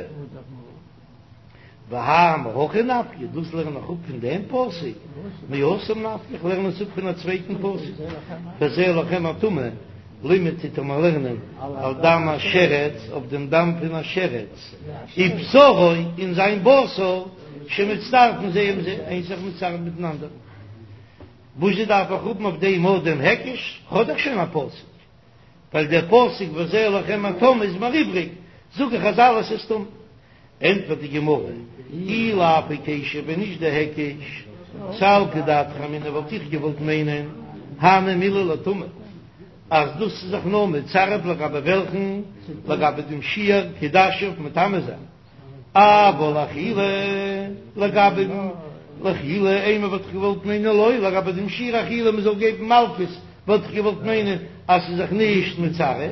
והא מהכא נפקא, דאס לערן איך אפ פון דעם פסוק, מהתם נפקא, איך לערן עס אפ פון א צווייטן פסוק, וזה לכם הטמא, לימד טוט ער מיר לערנען על דם השרץ, אויף דעם דם פון א שרץ, ובשרו און זיין בשר, שמצטרפין זה עם זה, איינס זיך מצרף מיטן אנדערן. וואזשע דארף איך האבן אויף דעם אט דעם היקש? כ'האב דאך שוין א פסוק, ווייל דער פסוק וזה לכם הטמא איז מיר איבריג, זאג איך אז אלעס איז טמא. ענטפערט די גמרא, אי לאו היקשא, ווען נישט דער היקש, סלקא דעתך אמינא וואלט איך געוואלט מיינען, הני מילי לטומאה, אז דאס איז זיך נאר מצרף לגבי וועלכן? לגבי דעם שיעור כעדשה אויף מטמא זיין. אבל לאכילה, לגבי לאכילה, אימא וואלט איך געוואלט מיינען לא, לגבי דעם שיעור אכילה מען זאל געבן מלקות, וואלט איך געוואלט מיינען אז ס'איז זיך נישט מצרף.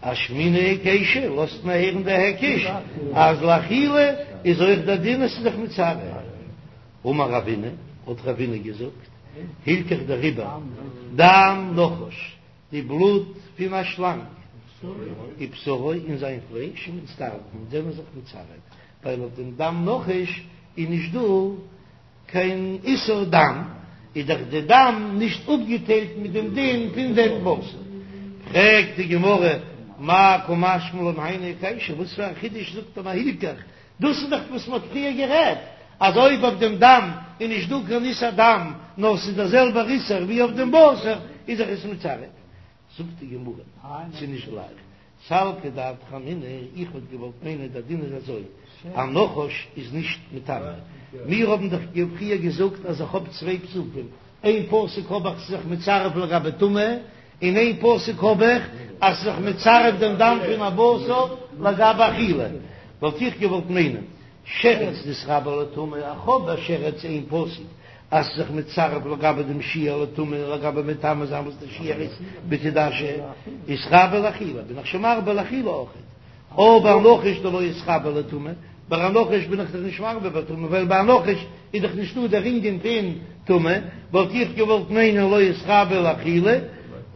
אשמעינן היקשא, לאזט מיר הערן דער היקש אז לאכילה איז אויך דער דין אז ס'איז זיך מצרף. אמר רבינא, האט רבינא געזאגט, הלכך דעריבער, דם נחש, די בלוט פון א שלאנג, ובשרו און זיין פלייש מצטרפין זענען זיך מצרף, ווייל אויף דעם דם נחש איז נישט דא קיין איסור דם, איז דאך די דם נישט אפגעטיילט מיט דעם דין פון דעם בשר. פרעגט די גמרא, מאי קא משמע לן היינו היקשא, וואס פאר א חידוש זאגט ער מיר הלכך, דאס איז דאך וואס מ'האט פריער גערעדט, אז אויב אויף דעם דם איז נישט דא קיין איסור דם, נאר ס'איז דער זעלבער איסור ווי אויף דעם בשר, איז זיך עס מצרף. זאגט די גמרא, ס'איז נישט גלייך. סלקא דעתך אמינא, איך וואלט געוואלט מיינען דער דין איז אזוי, א נחש איז נישט מטמא. מיר האבן דאך פריער געזאגט אז איך האב צוויי פסוקים, איין פסוק האב איך ס'איז זיך מצרף לגבי טומאה, און איין פסוק האב איך אז ס'איז זיך מצרף דעם דם פון א בשר לגבי אכילה, וואלט איך געוואלט מיינען שרץ דאיתרבי לטומאה, איך האב ביי שרץ איין פסוק אז ס'איז זיך מצרף לגבי דעם שיעור לטומאה און לגבי מטמא זיין וואס דער שיעור איז בכעדשה, איתרבי לאכילה, בין איך שוין מרבה לאכילה אויכעט. אבער נחש דלא איתרבי לטומאה, ביי א נחש בין איך דאך נישט מרבה בטומאה, ווייל ביי א נחש איז דאך נישטא דער ענין פון טומאה, וואלט איך געוואלט מיינען לא איתרבי לאכילה,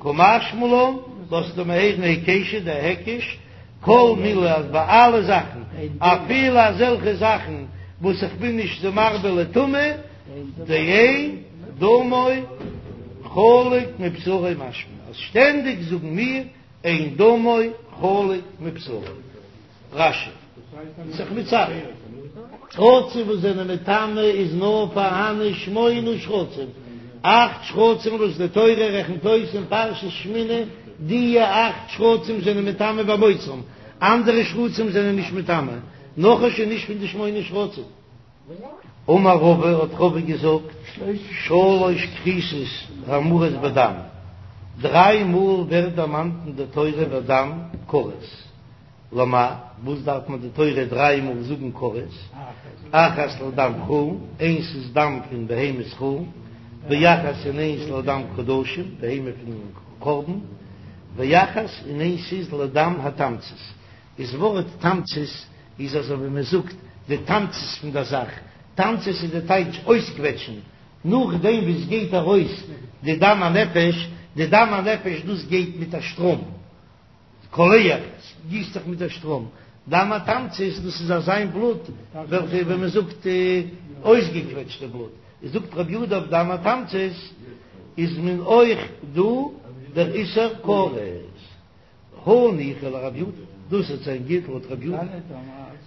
קא משמע לן, לאזט ער מיר הערן היקשא דער היקש, כל מילי אז ביי אלע זאכן, אפילו אזעלכע זאכן וואס איך בין נישט זיי מרבה לטומאה, דאין דמו חלוק מבשרו משמע אז שטענדיג זאגן מיר אין דמו חלוק מבשרו. רש"י. זיך מצרף. שרצים וואס זענען מטמא איז נאר פארהאנען שמונה שרצים, אכט שרצים וואס די תורה רעכנט אויס אין פרשת שמיני, דיע אכט שרצים זענען מטמא במוצאם, אנדערע שרצים זענען נישט מטמא, נחש איז נישט פון די שמונה שרצים. אמר רבא, האט רבא געזאגט, שלש כריתות האמורות בדם, דריי מאל ווערט דערמאנט אין די תורה בדם כרת, למאי, וואס דארף מען די תורה דריי מאל זאגן כרת, אחת לדם חולין, איינס איז דם פון בהמת חולין, ואחת און איינס לדם קדשים, בהמה פון קרבן, ואחת און איינס איז לדם התמצית. איז ווארט תמצית איז אזוי ווי מען זאגט די תמצית פון דער זאך, תמצית איז די טייטש אויסקוועטשן, נאכדעם ווי עס גייט ארויס די דם הנפש, די דם הנפש דאס גייט מיט א שטראם, קולח, גיסט זיך מיט א שטראם, דם התמצית דאס איז אזיין בלוט וועלכע ווי מען זאגט אויסגעקוועטשטע בלוט, איז זאגט רבי יהודה אויף דם התמצית איז מען אויך דא דער איסור כרת. הניחא לרב יהודה, דאס וועט זיין גוט לויט רב יהודה,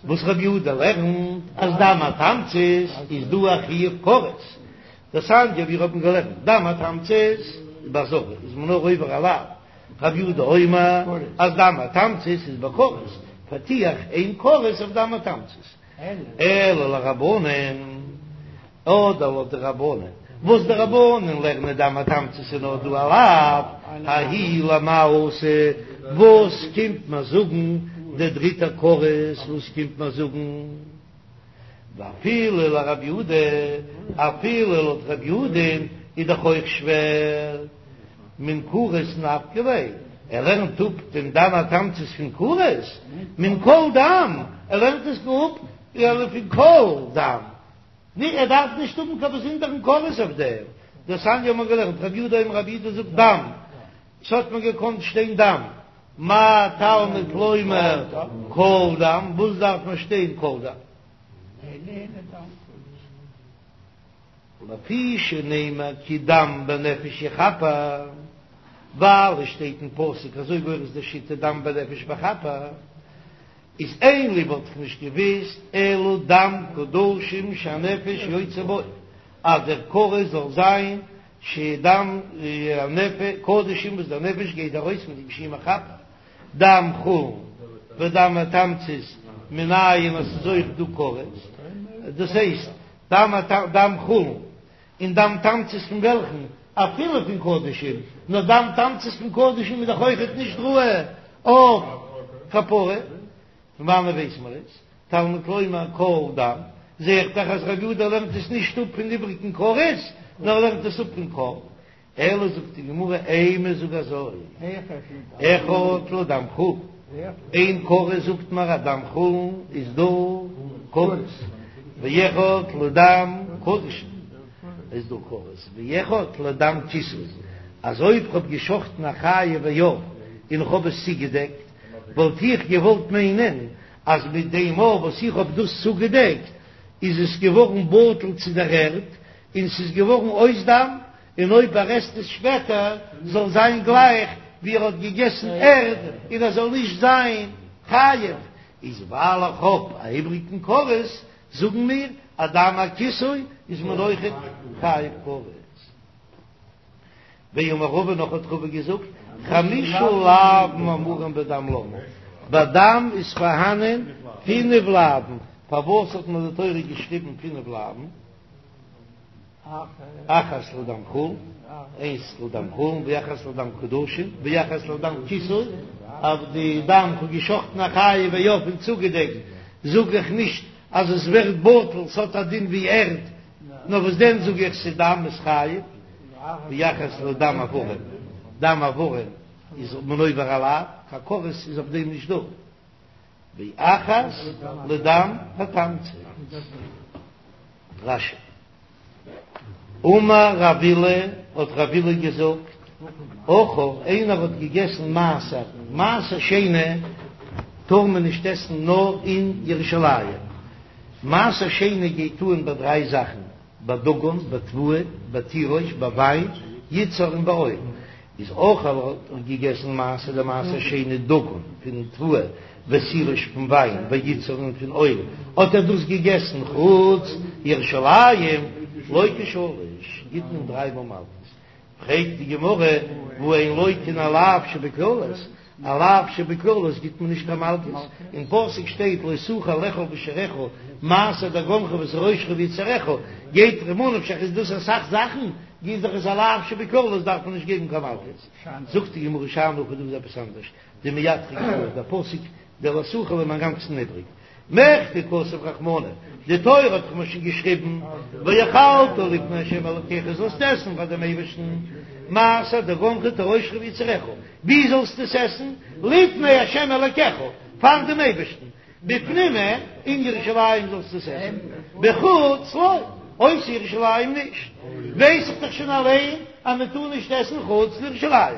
וואס רב יהודה לערנט אז דם התמצית איז דא א חיוב כרת, דתניא ווי מיר האבן געלערנט דם התמצית בעזרה איז מען נאר עובר א לאו, רב יהודה אומר אז דם התמצית איז בכרת, פארטו איך איין כרת אויף דם התמצית, אלא לרבנן. אדער לויט די רבנן, וואס די רבנן לערנען דם התמצית איז נאר דא א לאו, ההוא למאי אתא, וואס קומט מיר זאגן דער דריטער כרת, וואס קומט מיר זאגן? ואפילו לרב יהודה, אפילו לויט רב יהודה'ן איז דאך אויך שווער, מן כרת נפקא ליה, ער לערנט אפ דעם דם התמצית פון כרת, מן כל דם, ער לערנט עס אפ פון כל דם. ני, ער דארף נישט האבן קיין באזונדערן כרת אויף דעם. דתניא האט מען געלערנט, רבי יהודה אומר רבי יהודה זאגט דם, ס'האט מען געקאנט שטיין דם, מה תלמוד לומר כל דם, וואס דארף מען שטיין כל דם? לפי שנאמר כי דם בנפש יכפר, ווייל עס שטייט אין פסוק אזוי גורס די שיטה דם בנפש מכפר. איז אין לי וואלט איך נישט געוויסט אלא דם קדשים שהנפש יוצאה בו, אז דער כרת זאל זיין שדם הנפש קדשים וואס דער נפש גייט ארויס מיט דעם שהוא מכפר, דם חולין ודם התמצית מנין אז ס'איז אויך דא כרת, דאס הייסט דם חולין און דם תמצית פון וועלכן? אפילו פון קדשים, נאר דם תמצית פון קדשים איז דאך אויכעט נישט ראוי אויף כפרה, פון וואנען ווייס מען עס? תלמוד לומר כל דם, זע איך דאך אז רבי יהודה לערנט עס נישט אפ פון איבריגן כרת, נאר ער לערנט עס אפ פון כל. אלא זאגט די גמרא אימא זאג אזוי, אחד לדם חולין, איין כרת זאגט מיר אז דם חולין איז דא כרת, ואחד לדם קדשים איז דא כרת, ואחד לדם כיסוי, אז אויב כ'האב געשחטן א חיה ועוף און כ'האב עס צוגעדעקט, וואלט איך געוואלט מיינען אז מיט דעם מאל וואס איך האב דאס צוגעדעקט איז עס געווארן בטל צו דער ערד און ס'איז געווארן אויס דם, און אויב ער עסט עס שפעטער זאל זיין גלייך ווי ער האט געגעסן ערד און ער זאל נישט זיין חייב, איז ווייל איך האב א איבריגן כרת זאגן מיר אז דם הכיסוי איז מען אויכעט חייב כרת. ואמר רבא נאך האט רבא געזאגט חמשה לאוין אמורים בדם למה, ביי דם איז פארהאנען פינף לאוין, פארוואס האט מיר די תורה געשריבן פינף לאוין? אחת לדם חולין, איינס לדם חולין, ואחת לדם קדשים, ואחת לדם כיסוי, אויף די דם כ'האב געשחטן א חיה ועוף און צוגעדעקט, זאג איך נישט אז עס ווערט בטל, ס'האט א דין ווי ערד, נאר וואס דען זאג איך ס'דם איז חייב, ואחת לדם אברים, דם אברים איז מען עובר א לאו, קיין כרת איז אויף דעם נישט דא. ואחת לדם התמצית. רש"י. אמר רב אילא, האט רב אילא געזאגט, אכל, איינער האט געגעסן מעשר, מעשר שני טאר מען נישט עסן נאר אין ירושלים, מעשר שני גייט אן ביי דריי זאכן, בדגן, בתבואה, בתירוש, ביי וויין, יצהר און ביי אויל. איז אכל האט ער געגעסן מעשר די מעשר שני דגן פון תבואה ותירוש פון וויין ויצהר און פון אויל האט ער דאס געגעסן חוץ ירושלים לוקה שלש גיט מען דריי מאל מלקות פרעגט די גמרא והא אין לוקין א לאו שבקללות א לאו שבקללות גיט מען נישט קיין מלקות, אין פסוק שטייט לא תוכל לאכול בשעריך מעשר דגנך ותירושך ויצהרך, גייט ממה נפשך איז דאס אסאך זאכן, גיט זיך עס א לאו שבקללות דארף מען נישט געבן קיין מלקות, זאגט די גמרא שאני הכא דא איז עפעס אנדערש, דמייתרא קראי, דער פסוק דער לא תוכל איז אינגאנצן איבריג. מכדי כתב רחמנא, די תורה האט דאך מיר שוין געשריבן, ואכלת לפני ה' אלקיך זאלסט עסן פאר דעם אייבערשטן, מעשר דגנך ותירושך ויצהרך, ווי זאלסטו עס עסן? לפני ה' אלקיך, פאר דעם אייבערשטן, בפנים אין ירושלים זאלסטו עס עסן, בחוץ לא, אויסער ירושלים נישט, ווייס איך דאך שוין אליין אז מען טאר נישט עסן חוץ לירושלים,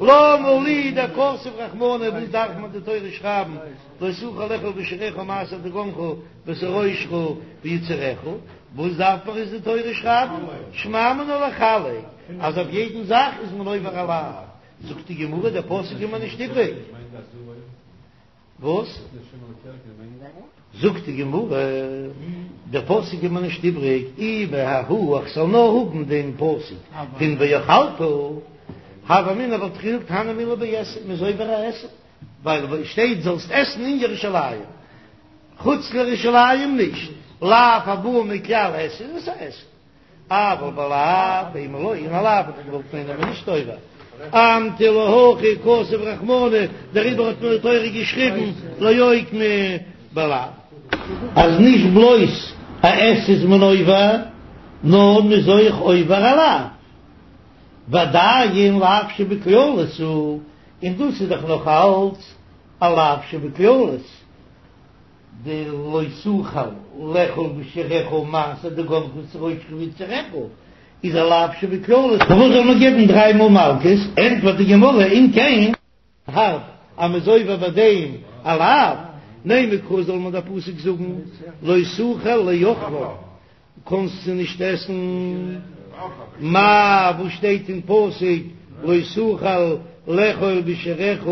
למה לי דכתב רחמנא, וואס דארף מען די תורה שרייבן לא תוכל לאכול בשעריך מעשר דגנך ותירושך ויצהרך, וואס דארף מען עס די תורה שרייבן, שמע מינה לחלק, אז אויף יעדן זאך איז מען עובר א לאו, זאגט די גמרא דער פסוק איז מיר נישט איבריג. וואס? זאגט די גמרא, דער פסוק איז מיר נישט איבריג, אי בההיא איך זאל נאר האבן דעם פסוק פון ואכלת, הוה אמינא וואלט איך געזאגט הני מילי בעשה, מ'איז עובר א עשה, ווייל שטייט זאלסט עסן אין ירושלים, חוץ לירושלים נישט, לאו הבא מכלל עשה איז עס א עשה. אבל בלאו אימא לא, אין א לאו וואלט איך געוואלט מיינען אז מ'איז נישט עובר. אמטו להכי כתב רחמנא, דעריבער האט מיר די תורה געשריבן לאוקמי בלאו. אז נישט בלויז א עשה איז מען עובר, נאר מ'איז אויך עובר א לאו. ועדיין לאו שבכללות הוא, און דאס איז דאך נאך אלץ א לאו שבכללות. די לא תוכל לאכול בשעריך מעשר דגנך ותירושך ויצהרך איז א לאו שבכללות, פארוואס זאל מען געבן דריי מאל מלקות? ענטפערט די גמרא אם כן הארב אז מ'איז עובר ביי דעם א לאו, נימא קרא זאל מען דער פסוק זאגן לא תוכל לאכלם קאנסטו נישט עסן מה וואס שטייט אין פסוק לא תוכל לאכול בשעריך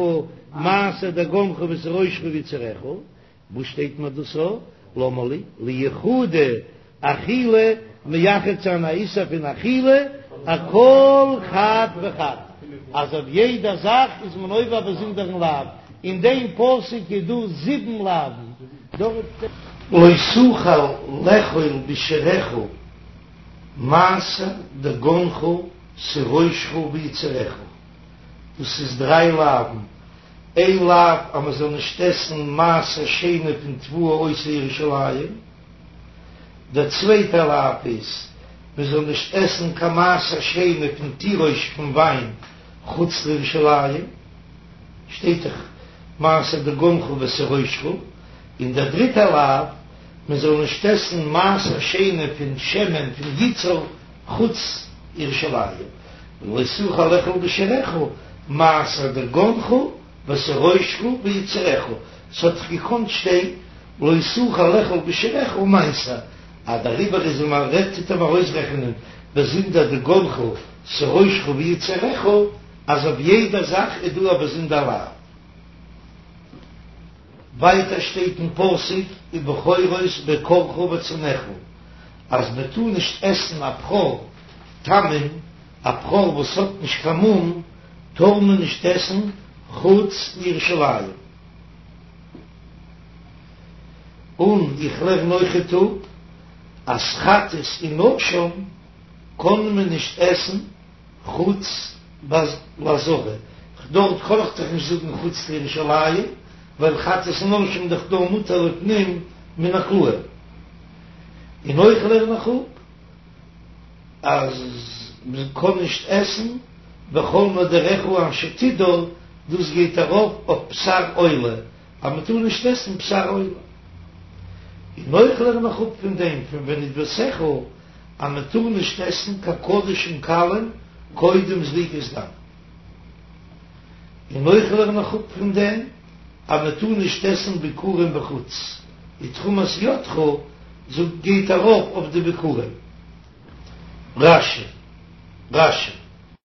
מעשר דגנך ותירושך ויצהרך, וואס שטייט מיר דאס א? למה לי לייחודי אכילה מייחד זיין א איסור פון אכילה אכל חד וחד אז אויף יעדע זאך איז מען עובר א באזונדערן לאו, אין דעם פסוק איז דא זיבן לאווין. לא תוכל לאכול בשעריך מעשר דגנך תירושך ויצהרך, דאס איז דריי לאווין, איין לאו אז מען זאל נישט עסן מעשר שני פון תבואה אויסער ירושלים, דער צווייטער לאו איז מען זאל נישט עסן קיין מעשר שני פון תירוש פון וויין חוץ לירושלים. שטייט דאך מעשר דגנך ותירושך, און דער דריטער לאו, מען זאל נישט עסן מעשר שני פון שמן פון יצהר חוץ ירושלים, ולא תוכל לאכול בשעריך מעשר דגנך ותירושך ויצהרך, ס'האט דאך געקאנט שטיין לא תוכל לאכול בשעריך מעשר, אז דעריבער איז מען רעדט טוט ער ארויסרעכענען באזונדער דגנך תירושך ויצהרך, אז אויף יעדע זאך איז דא א באזונדער לאו. ווייטער שטייט אין פסוק ובכורות בקרך וצאנך אז מען טאר נישט עסן א בכור תמים, א בכור וואס האט נישט קיין מום טאר מען נישט עסן חוץ לירושלים. און איך לערן אויכעט אפ אז חטאת און אשם קען מען נישט עסן חוץ לעזרה, דארט קען איך דאך נישט זאגן חוץ לירושלים, ווייל חטאת און אשם דאך דא מותר לפנים מן הכלאים. און אויך לערן איך אפ אז מען קען נישט עסן וכל נדריך אשר תדור, דאס גייט ארויף אויף בשר עולה, אז מען טאר נישט עסן בשר עולה. און אויך לערן איך אפ פון דעם פון ונדבתך אז מען טאר נישט עסן קיין קדשים קלים קודם זריקת דם, און אויך לערן איך אפ פון דעם אז מען טאר נישט עסן ביכורים בחוץ, ותרומת ידך זאגט גייט ארויף אויף די ביכורים. רש"י רש"י.